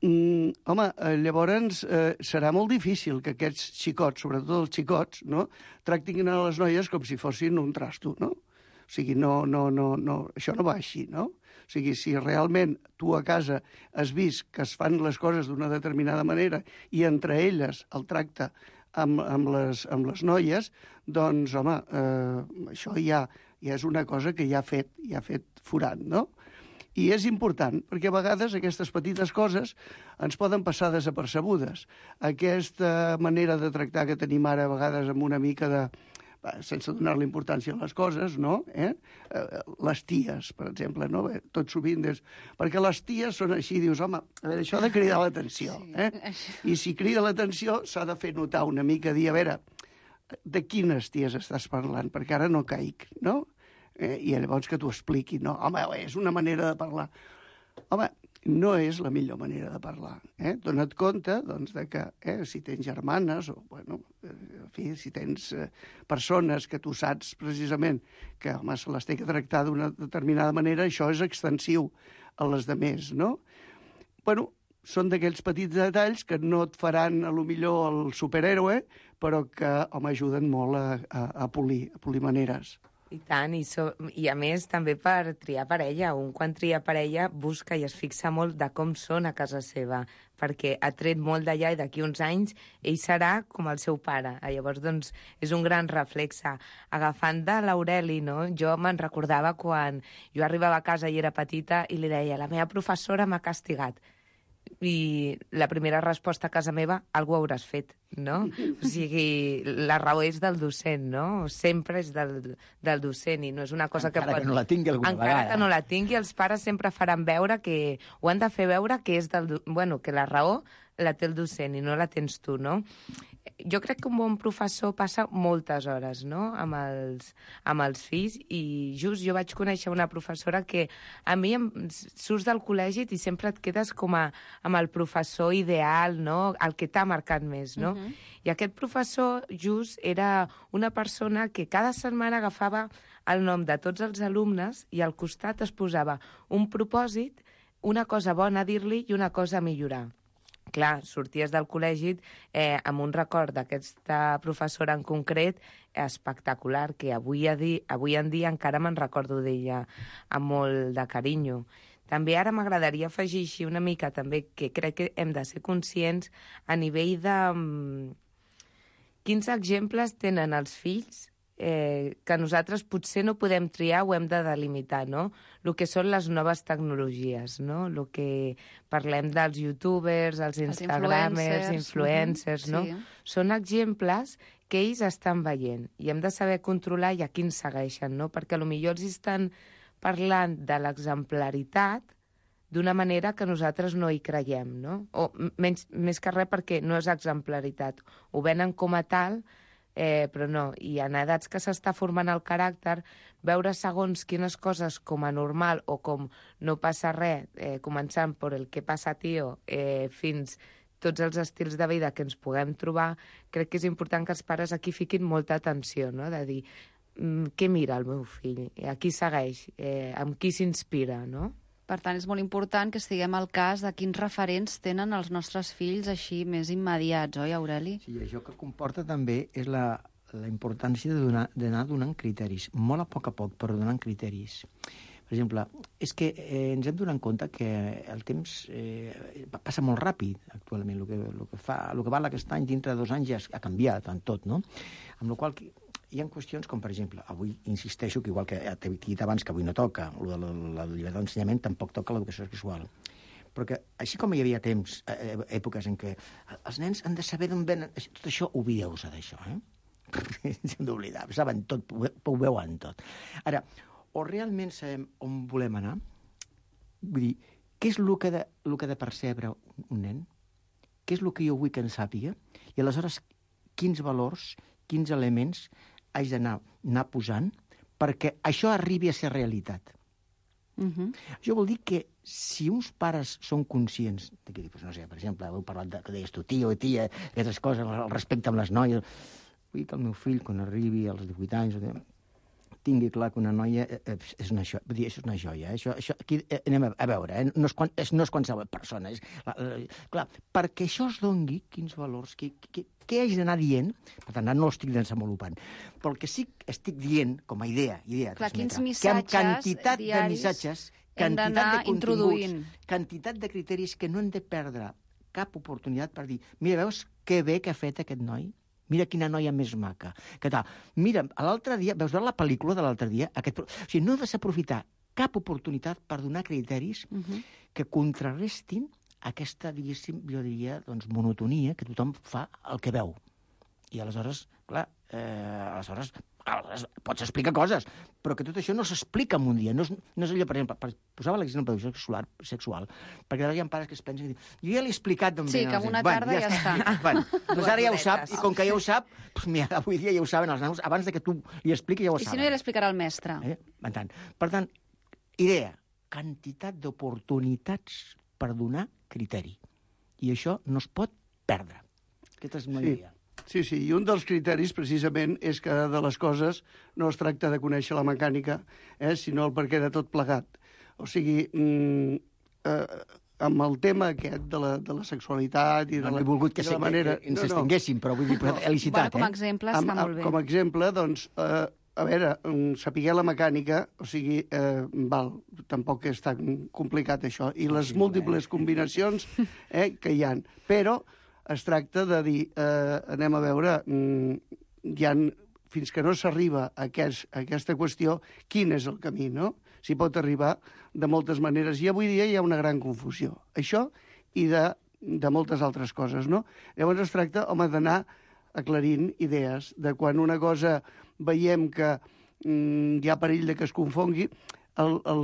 Mm, home, eh, llavors eh, serà molt difícil que aquests xicots, sobretot els xicots, no? tractin a les noies com si fossin un trasto, no? O sigui, no, no, no, no, això no va així, no? O sigui, si realment tu a casa has vist que es fan les coses d'una determinada manera i entre elles el tracte amb, amb, les, amb les noies, doncs, home, eh, això ja, ja és una cosa que ja ha fet, ja ha fet forat, no? I és important, perquè a vegades aquestes petites coses ens poden passar desapercebudes. Aquesta manera de tractar que tenim ara a vegades amb una mica de... sense donar-li importància a les coses, no? Eh? Les ties, per exemple, no? Tot sovint és... Perquè les ties són així, dius, home, a veure, això ha de cridar l'atenció, eh? I si crida l'atenció s'ha de fer notar una mica, dir, a veure, de quines ties estàs parlant? Perquè ara no caic, no? Eh? I llavors que t'ho expliqui, no? Home, és una manera de parlar. Home, no és la millor manera de parlar. Eh? Dona't compte doncs, de que eh, si tens germanes o, bueno, en fi, si tens eh, persones que tu saps precisament que home, se les té que tractar d'una determinada manera, això és extensiu a les demés, no? Bueno, són d'aquells petits detalls que no et faran, a lo millor, el superhéroe, però que, home, ajuden molt a, a, a polir, a polir maneres. I tant, i, so, i a més també per triar parella. Un quan tria parella busca i es fixa molt de com són a casa seva, perquè ha tret molt d'allà i d'aquí uns anys ell serà com el seu pare. Llavors, doncs, és un gran reflexe. Agafant de l'Aureli, no? Jo me'n recordava quan jo arribava a casa i era petita i li deia, la meva professora m'ha castigat. I la primera resposta a casa meva, algú hauràs fet, no? O sigui, la raó és del docent, no? Sempre és del, del docent i no és una cosa encara que pot... que no la tingui alguna encara vegada. que no la tingui, els pares sempre faran veure que... Ho han de fer veure que és del... Bueno, que la raó la té el docent i no la tens tu, no? Jo crec que un bon professor passa moltes hores, no?, amb els, amb els fills, i just jo vaig conèixer una professora que a mi em, surts del col·legi i sempre et quedes com a, amb el professor ideal, no?, el que t'ha marcat més, no? Uh-huh. I aquest professor just era una persona que cada setmana agafava el nom de tots els alumnes i al costat es posava un propòsit, una cosa bona a dir-li i una cosa a millorar. Clar, sorties del col·legi eh, amb un record d'aquesta professora en concret espectacular, que avui, a di, avui en dia encara me'n recordo d'ella amb molt de carinyo. També ara m'agradaria afegir així una mica també que crec que hem de ser conscients a nivell de um, quins exemples tenen els fills eh, que nosaltres potser no podem triar o hem de delimitar, no? El que són les noves tecnologies, no? El que parlem dels youtubers, els instagramers, els influencers, uh-huh. no? Sí. Són exemples que ells estan veient i hem de saber controlar i a quins segueixen, no? Perquè potser els estan parlant de l'exemplaritat d'una manera que nosaltres no hi creiem, no? O menys, més que res perquè no és exemplaritat. Ho venen com a tal, eh, però no. I en edats que s'està formant el caràcter, veure segons quines coses com a normal o com no passa res, eh, començant per el que passa, tio, eh, fins tots els estils de vida que ens puguem trobar, crec que és important que els pares aquí fiquin molta atenció, no? De dir, mm, què mira el meu fill? A qui segueix? Eh, amb qui s'inspira, no? Per tant, és molt important que estiguem al cas de quins referents tenen els nostres fills així més immediats, oi, Aureli? Sí, això que comporta també és la, la importància d'anar donant criteris, molt a poc a poc, però donant criteris. Per exemple, és que eh, ens hem donat compte que el temps eh, passa molt ràpid actualment. El que, el que, fa, el que val aquest any, dintre de dos anys, ja ha canviat en tot, no? Amb la qual cosa hi ha qüestions com, per exemple, avui insisteixo que igual que t'he dit abans que avui no toca, la, la, la llibertat d'ensenyament tampoc toca l'educació sexual. Però que, així com hi havia temps, eh, èpoques en què els nens han de saber d'on venen, tot això, oblideu-vos d'això, eh? Hem d'oblidar, saben tot, ho veuen tot. Ara, o realment sabem on volem anar? Vull dir, què és el que, de, el que ha de percebre un nen? Què és el que jo vull que en sàpiga? I aleshores, quins valors, quins elements haig d'anar anar posant perquè això arribi a ser realitat. Uh-huh. Això vol dir que si uns pares són conscients, de que, doncs, no sé, per exemple, heu parlat de, que deies tu, tio, tia, aquestes coses, el respecte amb les noies, vull que el meu fill, quan arribi als divuit anys, tingui clar que una noia és una joia. Vull dir, és una joia. Eh? Això, això, aquí eh, anem a, a veure, eh? no, és, és, no és qualsevol persona. És, la, la, clar, perquè això es doni, quins valors, què, què, què haig d'anar dient, per tant, no l'estic desenvolupant, però el que sí que estic dient, com a idea, idea clar, quins que missatges amb quantitat de missatges, quantitat de continguts, quantitat de criteris que no hem de perdre cap oportunitat per dir, mira, veus que bé que ha fet aquest noi? Mira quina noia més maca. Què tal? Mira, l'altre dia, veus veure la pel·lícula de l'altre dia? Aquest... O sigui, no has d'aprofitar cap oportunitat per donar criteris uh-huh. que contrarrestin aquesta, diguéssim, jo diria, doncs, monotonia que tothom fa el que veu. I aleshores, clar, eh, aleshores, aleshores pots explicar coses, però que tot això no s'explica en un dia. No és, no és allò, per exemple, per, posava l'exemple de sexual, sexual, perquè ara hi ha pares que es pensen que diuen, jo ja l'he explicat d'on sí, ve. que en una tarda ja, ja està. Bueno, doncs ara ja ho sap, i com que ja ho sap, doncs mira, avui dia ja ho saben els nanos, abans de que tu li expliquis ja ho I saben. si no, ja l'explicarà el mestre. Eh? Per tant, per tant, idea, quantitat d'oportunitats per donar criteri. I això no es pot perdre. Aquesta és una sí. idea. Sí, sí, i un dels criteris, precisament, és que de les coses no es tracta de conèixer la mecànica, eh, sinó el perquè de tot plegat. O sigui, mm, eh, amb el tema aquest de la, de la sexualitat i de no la, he volgut que, de la se, manera... que ens estenguéssim, no, no. però vull dir, no. Elicitat, bueno, com a eh? exemple està amb, molt bé. Com a exemple, doncs, eh, a veure, saber la mecànica, o sigui, eh, val, tampoc és tan complicat això, i les sí, múltiples eh? combinacions eh, que hi ha. Però es tracta de dir, eh, anem a veure, hi ha, fins que no s'arriba a, aquest, a aquesta qüestió, quin és el camí, no? S'hi pot arribar de moltes maneres. I avui dia hi ha una gran confusió. Això i de, de moltes altres coses, no? Llavors es tracta, home, d'anar aclarint idees, de quan una cosa veiem que mm, hi ha perill de que es confongui, el, el,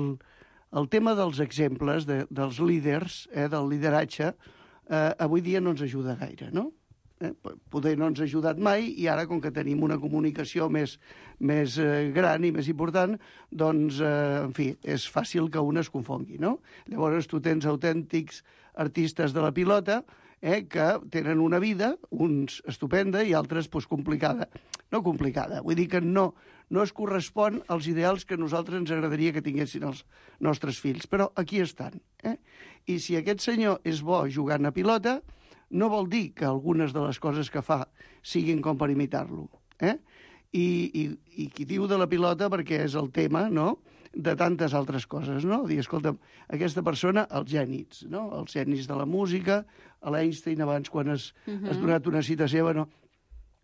el tema dels exemples, de, dels líders, eh, del lideratge, eh, avui dia no ens ajuda gaire, no? Eh, poder no ens ha ajudat mai i ara, com que tenim una comunicació més, més eh, gran i més important, doncs, eh, en fi, és fàcil que un es confongui, no? Llavors tu tens autèntics artistes de la pilota eh, que tenen una vida, uns estupenda i altres pues, complicada. No complicada, vull dir que no, no es correspon als ideals que a nosaltres ens agradaria que tinguessin els nostres fills, però aquí estan. Eh? I si aquest senyor és bo jugant a pilota, no vol dir que algunes de les coses que fa siguin com per imitar-lo. Eh? I, i, I qui diu de la pilota, perquè és el tema, no?, de tantes altres coses, no? Dir, escolta, aquesta persona, els gènies, no? Els gènies de la música, a l'Einstein abans, quan has, uh-huh. has donat una cita seva, no?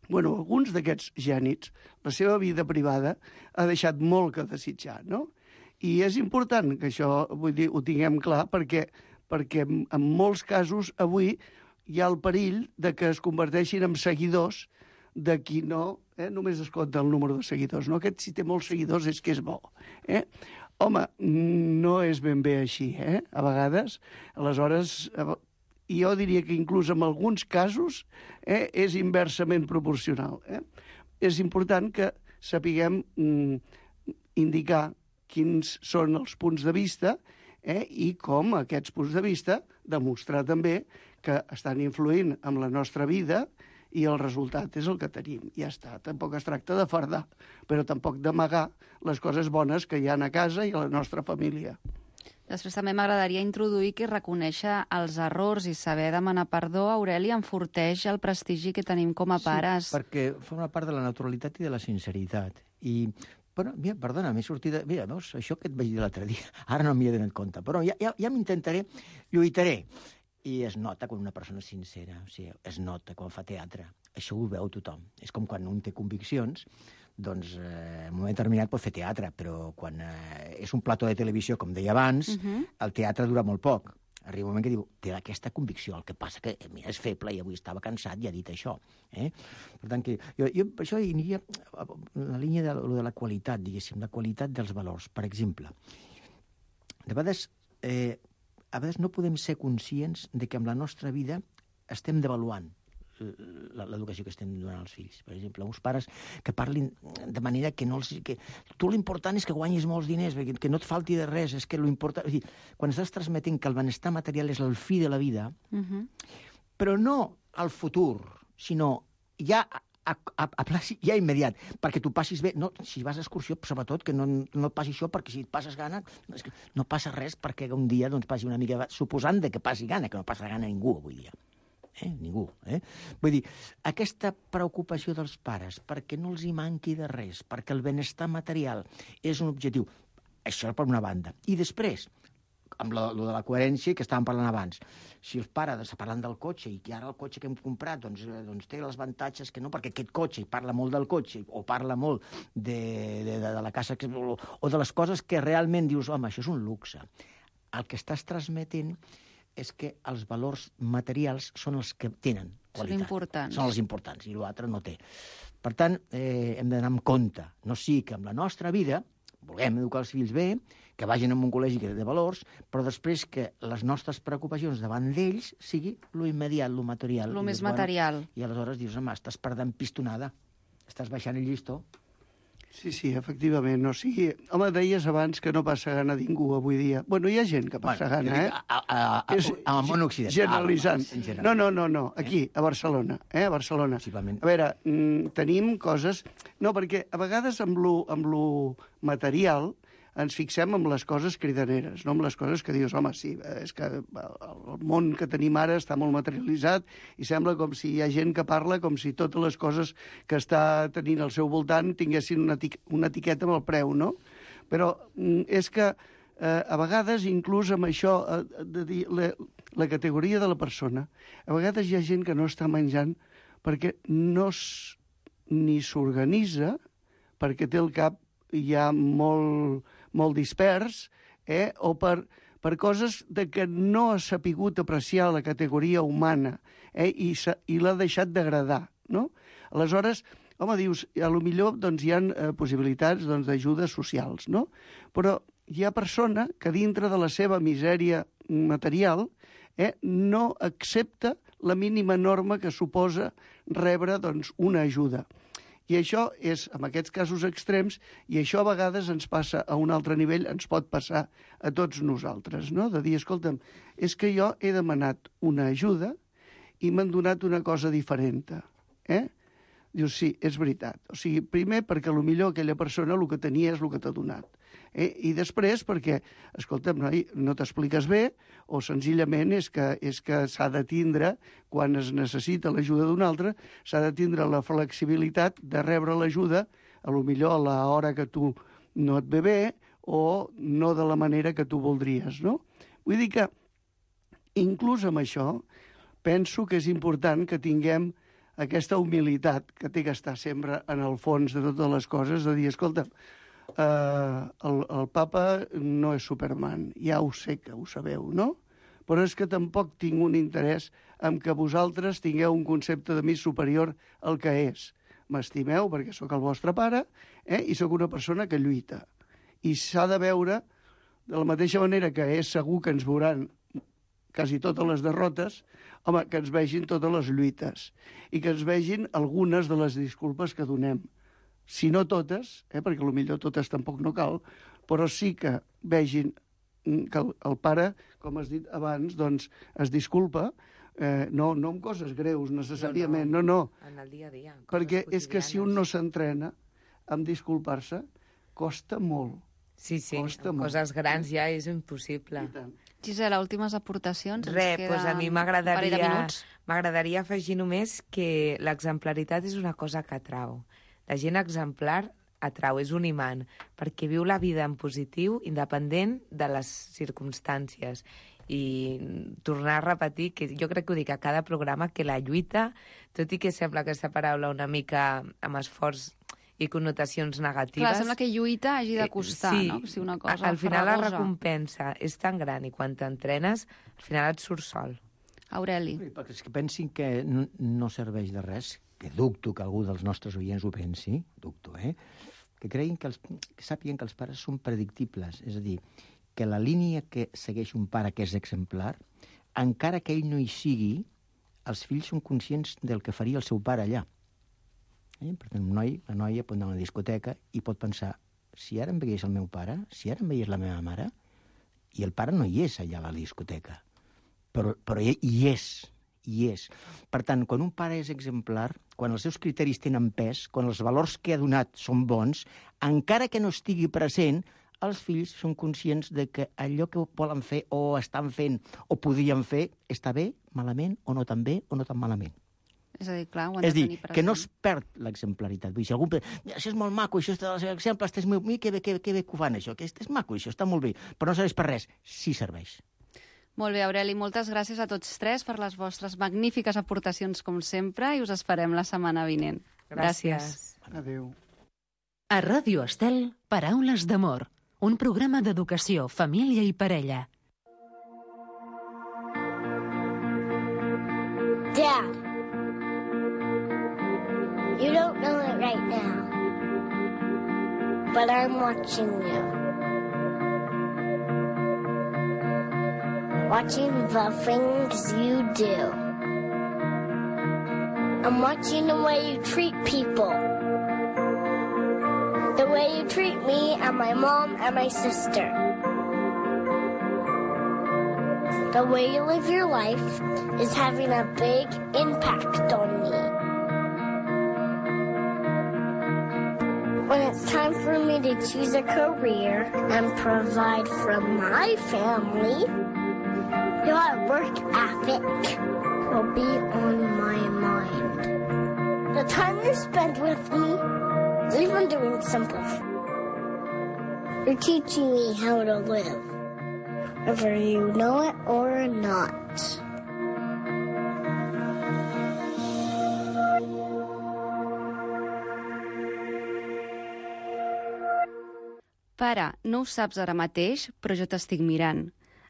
Bueno, alguns d'aquests gènies, la seva vida privada ha deixat molt que desitjar, no? I és important que això, vull dir, ho tinguem clar, perquè, perquè en molts casos avui hi ha el perill de que es converteixin en seguidors de qui no, eh, només es compta el número de seguidors, no? Aquest, si té molts seguidors, és que és bo. Eh? Home, no és ben bé així, eh? A vegades. Aleshores, jo diria que inclús en alguns casos eh, és inversament proporcional. Eh? És important que sapiguem mm, indicar quins són els punts de vista eh, i com aquests punts de vista demostrar també que estan influint en la nostra vida i el resultat és el que tenim. Ja està. Tampoc es tracta de fardar, però tampoc d'amagar les coses bones que hi ha a casa i a la nostra família. Després també m'agradaria introduir que reconèixer els errors i saber demanar perdó, Aureli, enforteix el prestigi que tenim com a pares. Sí, perquè forma part de la naturalitat i de la sinceritat. I, bueno, mira, perdona, m'he sortit... De... Mira, veus, això que et vaig dir l'altre dia, ara no m'hi he donat compte, però ja, ja, ja m'intentaré, lluitaré. I es nota quan una persona és sincera, o sigui, es nota quan fa teatre. Això ho veu tothom. És com quan un té conviccions, doncs eh, en un moment determinat pot fer teatre, però quan eh, és un plató de televisió, com deia abans, uh-huh. el teatre dura molt poc. Arriba un moment que diu, té aquesta convicció, el que passa que mira, és feble i avui estava cansat i ha dit això. Eh? Per tant, que jo, jo per això aniria en la línia de, de la qualitat, diguéssim, la qualitat dels valors. Per exemple, de vegades... Eh, a vegades no podem ser conscients de que amb la nostra vida estem devaluant l'educació que estem donant als fills. Per exemple, uns pares que parlin de manera que no els... Que, tu l'important és que guanyis molts diners, que no et falti de res, és que l'important... És dir, quan estàs transmetent que el benestar material és el fi de la vida, uh-huh. però no al futur, sinó ja... A, a, a placi ja immediat, perquè tu passis bé. No, si vas a excursió, sobretot, que no, no et passi això, perquè si et passes gana, és que no passa res perquè un dia doncs, passi una mica... Suposant de que passi gana, que no passa gana ningú avui dia. Eh? Ningú. Eh? Vull dir, aquesta preocupació dels pares perquè no els hi manqui de res, perquè el benestar material és un objectiu. Això per una banda. I després, amb lo, lo de la coherència que estàvem parlant abans. Si els pares parlant del cotxe i que ara el cotxe que hem comprat doncs, doncs té els avantatges que no, perquè aquest cotxe, i parla molt del cotxe, o parla molt de, de, de, de la casa, que, o, o de les coses que realment dius, home, això és un luxe. El que estàs transmetent és que els valors materials són els que tenen qualitat. Són importants. Són els importants, i l'altre no té. Per tant, eh, hem d'anar amb compte. No sigui que amb la nostra vida vulguem educar els fills bé, que vagin a un col·legi que té valors, però després que les nostres preocupacions davant d'ells sigui lo immediat, lo material. Lo més material. Bueno, I aleshores dius, home, estàs perdent pistonada, estàs baixant el llistó. Sí, sí, efectivament. O sigui, home, deies abans que no passa gana ningú avui dia. Bueno, hi ha gent que passa bueno, gana, eh? A, a, a, és, a, a món occidental. Generalitzant. Ah, no, no, no, no, aquí, a Barcelona, eh? A Barcelona. A veure, mm, tenim coses... No, perquè a vegades amb lo, amb lo material ens fixem en les coses cridaneres, no en les coses que dius, home, sí, és que el món que tenim ara està molt materialitzat i sembla com si hi ha gent que parla com si totes les coses que està tenint al seu voltant tinguessin una, eti una etiqueta amb el preu, no? Però és que eh, a vegades, inclús amb això, eh, de dir la, la categoria de la persona, a vegades hi ha gent que no està menjant perquè no ni s'organitza, perquè té el cap ja molt, molt dispers, eh? o per, per coses de que no ha sapigut apreciar la categoria humana eh? i, i l'ha deixat d'agradar, no? Aleshores, home, dius, a lo millor doncs, hi ha eh, possibilitats doncs, d'ajudes socials, no? Però hi ha persona que dintre de la seva misèria material eh, no accepta la mínima norma que suposa rebre doncs, una ajuda. I això és, en aquests casos extrems, i això a vegades ens passa a un altre nivell, ens pot passar a tots nosaltres, no? De dir, escolta'm, és que jo he demanat una ajuda i m'han donat una cosa diferent, eh? Dius, sí, és veritat. O sigui, primer perquè potser aquella persona el que tenia és el que t'ha donat. Eh? I després perquè, escolta'm, noi, no t'expliques bé o senzillament és que, és que s'ha de tindre, quan es necessita l'ajuda d'un altre, s'ha de tindre la flexibilitat de rebre l'ajuda a lo millor a l'hora que tu no et ve bé o no de la manera que tu voldries, no? Vull dir que, inclús amb això, penso que és important que tinguem aquesta humilitat que té que estar sempre en el fons de totes les coses, de dir, escolta, Uh, el, el papa no és Superman, ja ho sé que ho sabeu, no? Però és que tampoc tinc un interès en que vosaltres tingueu un concepte de mi superior al que és. M'estimeu perquè sóc el vostre pare eh? I sóc una persona que lluita. I s'ha de veure, de la mateixa manera que és segur que ens veuran quasi totes les derrotes, home, que ens vegin totes les lluites i que ens vegin algunes de les disculpes que donem. Si no totes, eh, perquè potser totes tampoc no cal, però sí que vegin que el, el pare, com has dit abans, doncs es disculpa, eh, no, no amb coses greus necessàriament, no, no. no. En el dia a dia. Perquè és que si un no s'entrena en disculpar-se, costa molt. Sí, sí, costa amb molt. Coses grans ja és impossible. Gisela, últimes aportacions. Res, doncs a mi m'agradaria m'agradaria afegir només que l'exemplaritat és una cosa que atrau. La gent exemplar atrau, és un imant, perquè viu la vida en positiu, independent de les circumstàncies. I tornar a repetir, que jo crec que ho dic a cada programa, que la lluita, tot i que sembla aquesta paraula una mica amb esforç i connotacions negatives... Clar, sembla que lluita hagi de costar, sí, no? Si una cosa al final farragosa. La recompensa és tan gran i quan t'entrenes, al final et surt sol. Aureli. Sí, perquè és que pensin que no, no serveix de res, que dubto que algú dels nostres oients ho pensi, dubto, eh? Que creguin que, els, que sàpiguen que els pares són predictibles, és a dir, que la línia que segueix un pare que és exemplar, encara que ell no hi sigui, els fills són conscients del que faria el seu pare allà. Eh? Per tant, un noi, la noia pot anar a una discoteca i pot pensar, si ara em veiés el meu pare, si ara em veiés la meva mare, i el pare no hi és allà a la discoteca, però, però hi, hi és, hi és. Per tant, quan un pare és exemplar, quan els seus criteris tenen pes, quan els valors que ha donat són bons, encara que no estigui present, els fills són conscients de que allò que volen fer o estan fent o podrien fer està bé, malament, o no tan bé, o no tan malament. És a dir, clar, ho han és de dir, tenir present. que no es perd l'exemplaritat. Vull dir, si algú pensa, això és molt maco, això està dels exemples, és molt... que bé, que bé, que bé que ho fan, això, que és maco, això està molt bé, però no serveix per res. Sí serveix. Molt bé, Aureli, moltes gràcies a tots tres per les vostres magnífiques aportacions, com sempre, i us esperem la setmana vinent. Gràcies. Gràcies. Adéu. A Ràdio Estel, Paraules d'amor, un programa d'educació, família i parella. Dad, you don't know it right now, but I'm watching you. Watching the things you do. I'm watching the way you treat people. The way you treat me and my mom and my sister. The way you live your life is having a big impact on me. When it's time for me to choose a career and provide for my family, your work ethic will be on my mind. The time you spend with me, even doing simple things, you're teaching me how to live, whether you know it or not. Pare, no ho saps ara mateix, però jo t'estic mirant.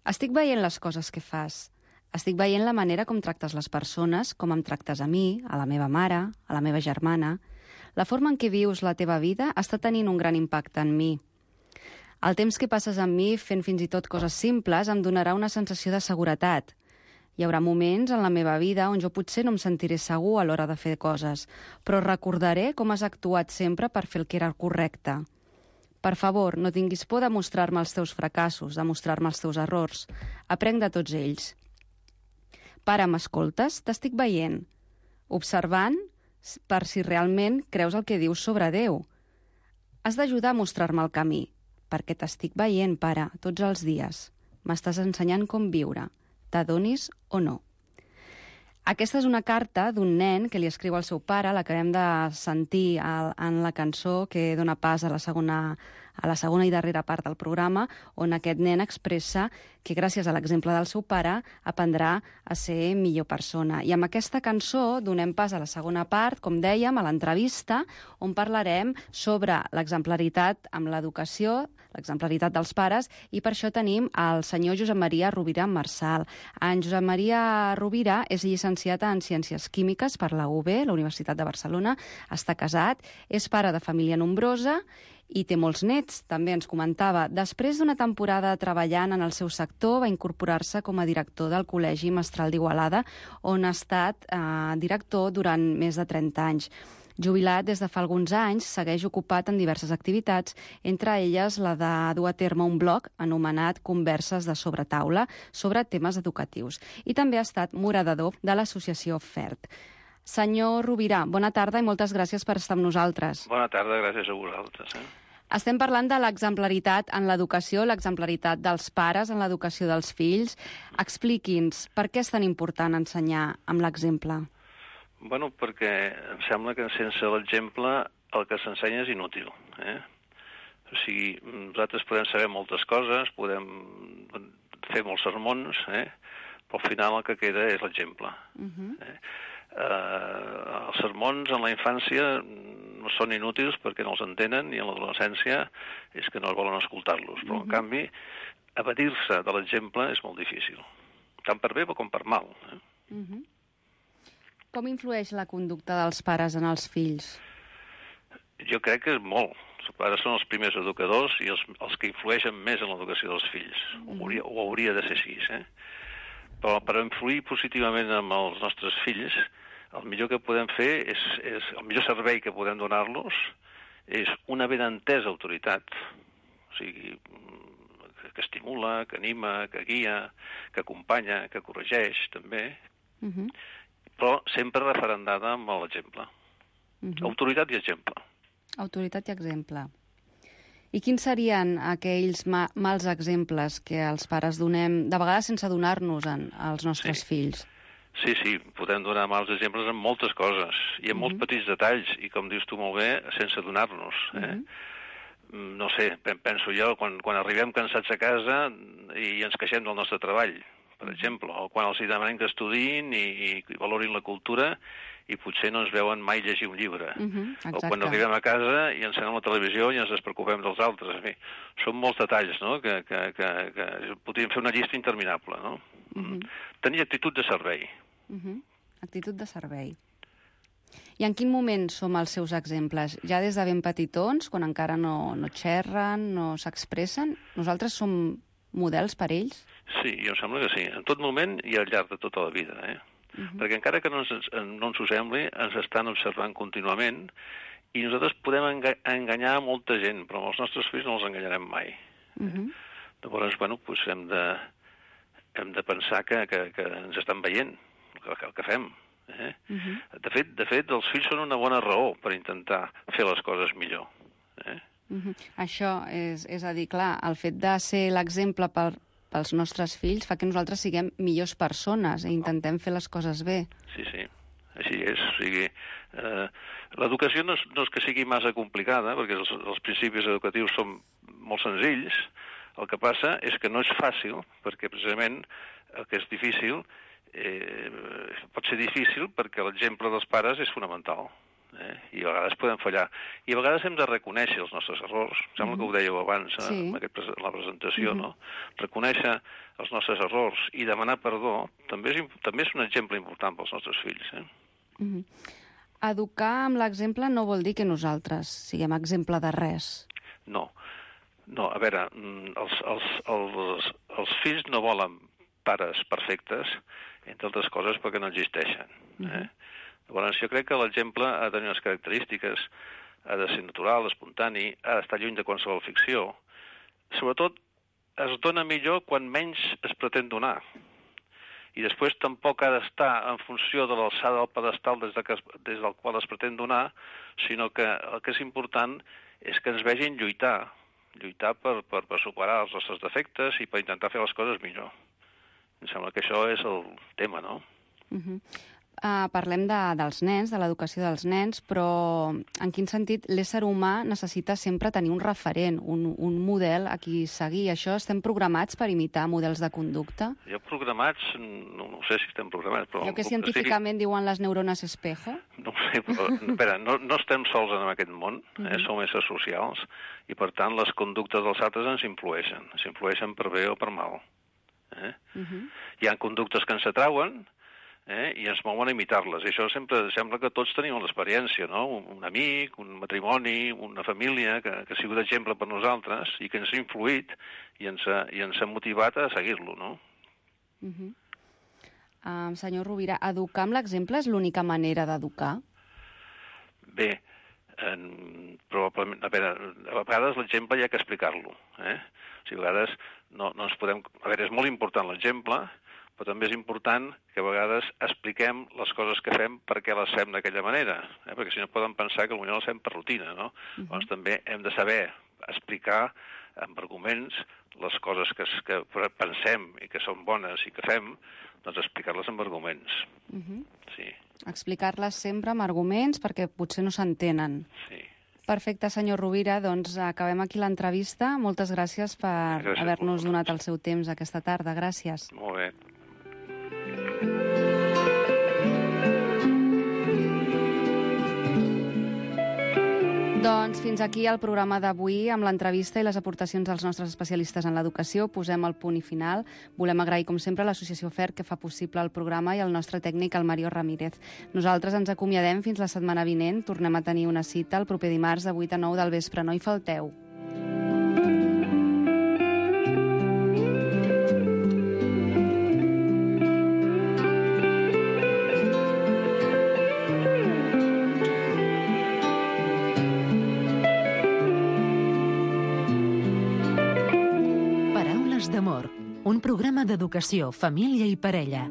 Estic veient les coses que fas. Estic veient la manera com tractes les persones, com em tractes a mi, a la meva mare, a la meva germana. La forma en què vius la teva vida està tenint un gran impacte en mi. El temps que passes amb mi fent fins i tot coses simples em donarà una sensació de seguretat. Hi haurà moments en la meva vida on jo potser no em sentiré segur a l'hora de fer coses, però recordaré com has actuat sempre per fer el que era el correcte. Per favor, no tinguis por de mostrar-me els teus fracassos, de mostrar-me els teus errors. Aprenc de tots ells. Pare, m'escoltes? T'estic veient. Observant per si realment creus el que dius sobre Déu. Has d'ajudar a mostrar-me el camí, perquè t'estic veient, pare, tots els dies. M'estàs ensenyant com viure, t'adonis o no. Aquesta és una carta d'un nen que li escriu al seu pare, l'acabem de sentir en la cançó que dona pas a la segona, a la segona i darrera part del programa, on aquest nen expressa que gràcies a l'exemple del seu pare aprendrà a ser millor persona. I amb aquesta cançó donem pas a la segona part, com dèiem, a l'entrevista, on parlarem sobre l'exemplaritat amb l'educació, l'exemplaritat dels pares, i per això tenim el senyor Josep Maria Rovira Marçal. En Josep Maria Rovira és llicenciat en Ciències Químiques per la U B, la Universitat de Barcelona, està casat, és pare de família nombrosa i té molts nets, també ens comentava. Després d'una temporada treballant en el seu sector, va incorporar-se com a director del Col·legi Mestral d'Igualada, on ha estat eh, director durant més de trenta anys. Jubilat des de fa alguns anys, segueix ocupat en diverses activitats, entre elles la de dur a terme un blog anomenat Converses de Sobretaula sobre temes educatius. I també ha estat moderador de l'associació FERT. Senyor Rovira, bona tarda i moltes gràcies per estar amb nosaltres. Bona tarda, gràcies a vosaltres. Eh? Estem parlant de l'exemplaritat en l'educació, l'exemplaritat dels pares en l'educació dels fills. Expliqui'ns, per què és tan important ensenyar amb l'exemple? Bueno, perquè em sembla que sense l'exemple el que s'ensenya és inútil. Eh? O sigui, nosaltres podem saber moltes coses, podem fer molts sermons, eh? però al final el que queda és l'exemple. Uh-huh. eh? Uh, els sermons en la infància no són inútils perquè no els entenen, i en l'adolescència és que no volen escoltar-los. Però, uh-huh. en canvi, evadir-se de l'exemple és molt difícil, tant per bé com per mal. Eh? Uh-huh. Com influeix la conducta dels pares en els fills? Jo crec que és molt. Els pares són els primers educadors i els, els que influeixen més en l'educació dels fills. Mm. O, hauria, o hauria de ser així, eh? Però per influir positivament amb els nostres fills, el millor que podem fer és, és el millor servei que podem donar-los és una ben entesa autoritat, o sigui, que estimula, que anima, que guia, que acompanya, que corregeix, també, uh-huh. però sempre referendada amb l'exemple. Uh-huh. Autoritat i exemple. Autoritat i exemple. I quins serien aquells ma mals exemples que els pares donem, de vegades sense donar-nos als nostres sí. fills? Sí, sí, podem donar mals exemples en moltes coses, i en uh-huh. molts petits detalls, i com dius tu molt bé, sense donar-nos. Eh? Uh-huh. No sé, penso jo, quan, quan arribem cansats a casa i ens queixem del nostre treball, per exemple, o quan els hi demanem que estudiïn i, i valorin la cultura i potser no ens veuen mai llegir un llibre. Uh-huh, o quan arribem a casa i encenem la televisió i ens despreocupem dels altres. En fi, són molts detalls, no?, que, que, que, que podríem fer una llista interminable, no? Uh-huh. Tenir actitud de servei. Uh-huh. Actitud de servei. I en quin moment som els seus exemples? Ja des de ben petitons, quan encara no, no xerren, no s'expressen? Nosaltres som models per ells? Sí, jo em sembla que sí. En tot moment i al llarg de tota la vida, eh? Uh-huh. Perquè encara que no ens, no ens ho sembli, ens estan observant contínuament i nosaltres podem enga enganyar molta gent, però amb els nostres fills no els enganyarem mai. Uh-huh. Llavors, bueno, doncs hem de, hem de pensar que, que, que ens estan veient el que, el que fem. Eh? Uh-huh. de, fet, de fet, els fills són una bona raó per intentar fer les coses millor. Eh? Uh-huh. Això és, és a dir, clar, el fet de ser l'exemple per pels nostres fills fa que nosaltres siguem millors persones i intentem fer les coses bé. Sí, sí, així és. O sigui, eh, l'educació no, és, no és que sigui massa complicada, perquè els, els principis educatius són molt senzills. El que passa és que no és fàcil, perquè precisament el que és difícil eh, pot ser difícil perquè l'exemple dels pares és fonamental. Eh? I a vegades podem fallar. I a vegades hem de reconèixer els nostres errors. Em sembla mm-hmm. que ho dèieu abans sí. en aquest, la presentació, mm-hmm. no? Reconèixer els nostres errors i demanar perdó també és, també és un exemple important pels nostres fills. Eh? Mm-hmm. Educar amb l'exemple no vol dir que nosaltres siguem exemple de res. No. No, a veure, els, els, els, els fills no volen pares perfectes, entre altres coses perquè no existeixen. Mm-hmm. Eh? Llavors, jo crec que l'exemple ha de tenir unes característiques, ha de ser natural, espontani, ha d'estar lluny de qualsevol ficció. Sobretot, es dona millor quan menys es pretén donar. I després tampoc ha d'estar en funció de l'alçada del pedestal des, de que, des del qual es pretén donar, sinó que el que és important és que ens vegin lluitar, lluitar per, per, per superar els nostres defectes i per intentar fer les coses millor. Em sembla que això és el tema, no? Uh-huh. Uh, parlem de, dels nens, de l'educació dels nens, però en quin sentit l'ésser humà necessita sempre tenir un referent, un, un model a qui seguir. Això estem programats per imitar models de conducta? Jo programats, no, no sé si estem programats, però... Allò que científicament estic... diuen les neurones espejo? No ho sé, però espera, no, no estem sols en aquest món, eh? Uh-huh. Som éssers socials, i per tant les conductes dels altres ens influeixen, ens influeixen per bé o per mal. Eh? Uh-huh. Hi ha conductes que ens atrauen, Eh? i ens mouen a imitar-les. I això sempre sembla que tots tenim l'experiència, no? Un, un amic, un matrimoni, una família que, que ha sigut exemple per nosaltres i que ens ha influït i ens ha, i ens ha motivat a seguir-lo, no? Uh-huh. uh, senyor Rovira, educar amb l'exemple és l'única manera d'educar? Bé, en, probablement, a veure, a vegades l'exemple hi ha que explicar-lo. Eh? O sigui, a vegades no, no ens podem... A veure, és molt important l'exemple, però també és important que a vegades expliquem les coses que fem per què les fem d'aquella manera, eh? perquè si no poden pensar que potser les fem per rutina, no? Uh-huh. Llavors també hem de saber explicar amb arguments les coses que, que pensem i que són bones i que fem, doncs explicar-les amb arguments. Uh-huh. Sí. Explicar-les sempre amb arguments perquè potser no s'entenen. Sí. Perfecte, senyor Rovira, doncs acabem aquí l'entrevista. Moltes gràcies per haver-nos donat el seu temps aquesta tarda. Gràcies. Molt bé. Doncs fins aquí el programa d'avui amb l'entrevista i les aportacions dels nostres especialistes en l'educació. Posem el punt i final. Volem agrair, com sempre, a l'Associació F E R que fa possible el programa i al nostre tècnic, el Mario Ramírez. Nosaltres ens acomiadem fins la setmana vinent. Tornem a tenir una cita el proper dimarts de vuit a nou del vespre. No hi falteu. programa d'educació, família i parella.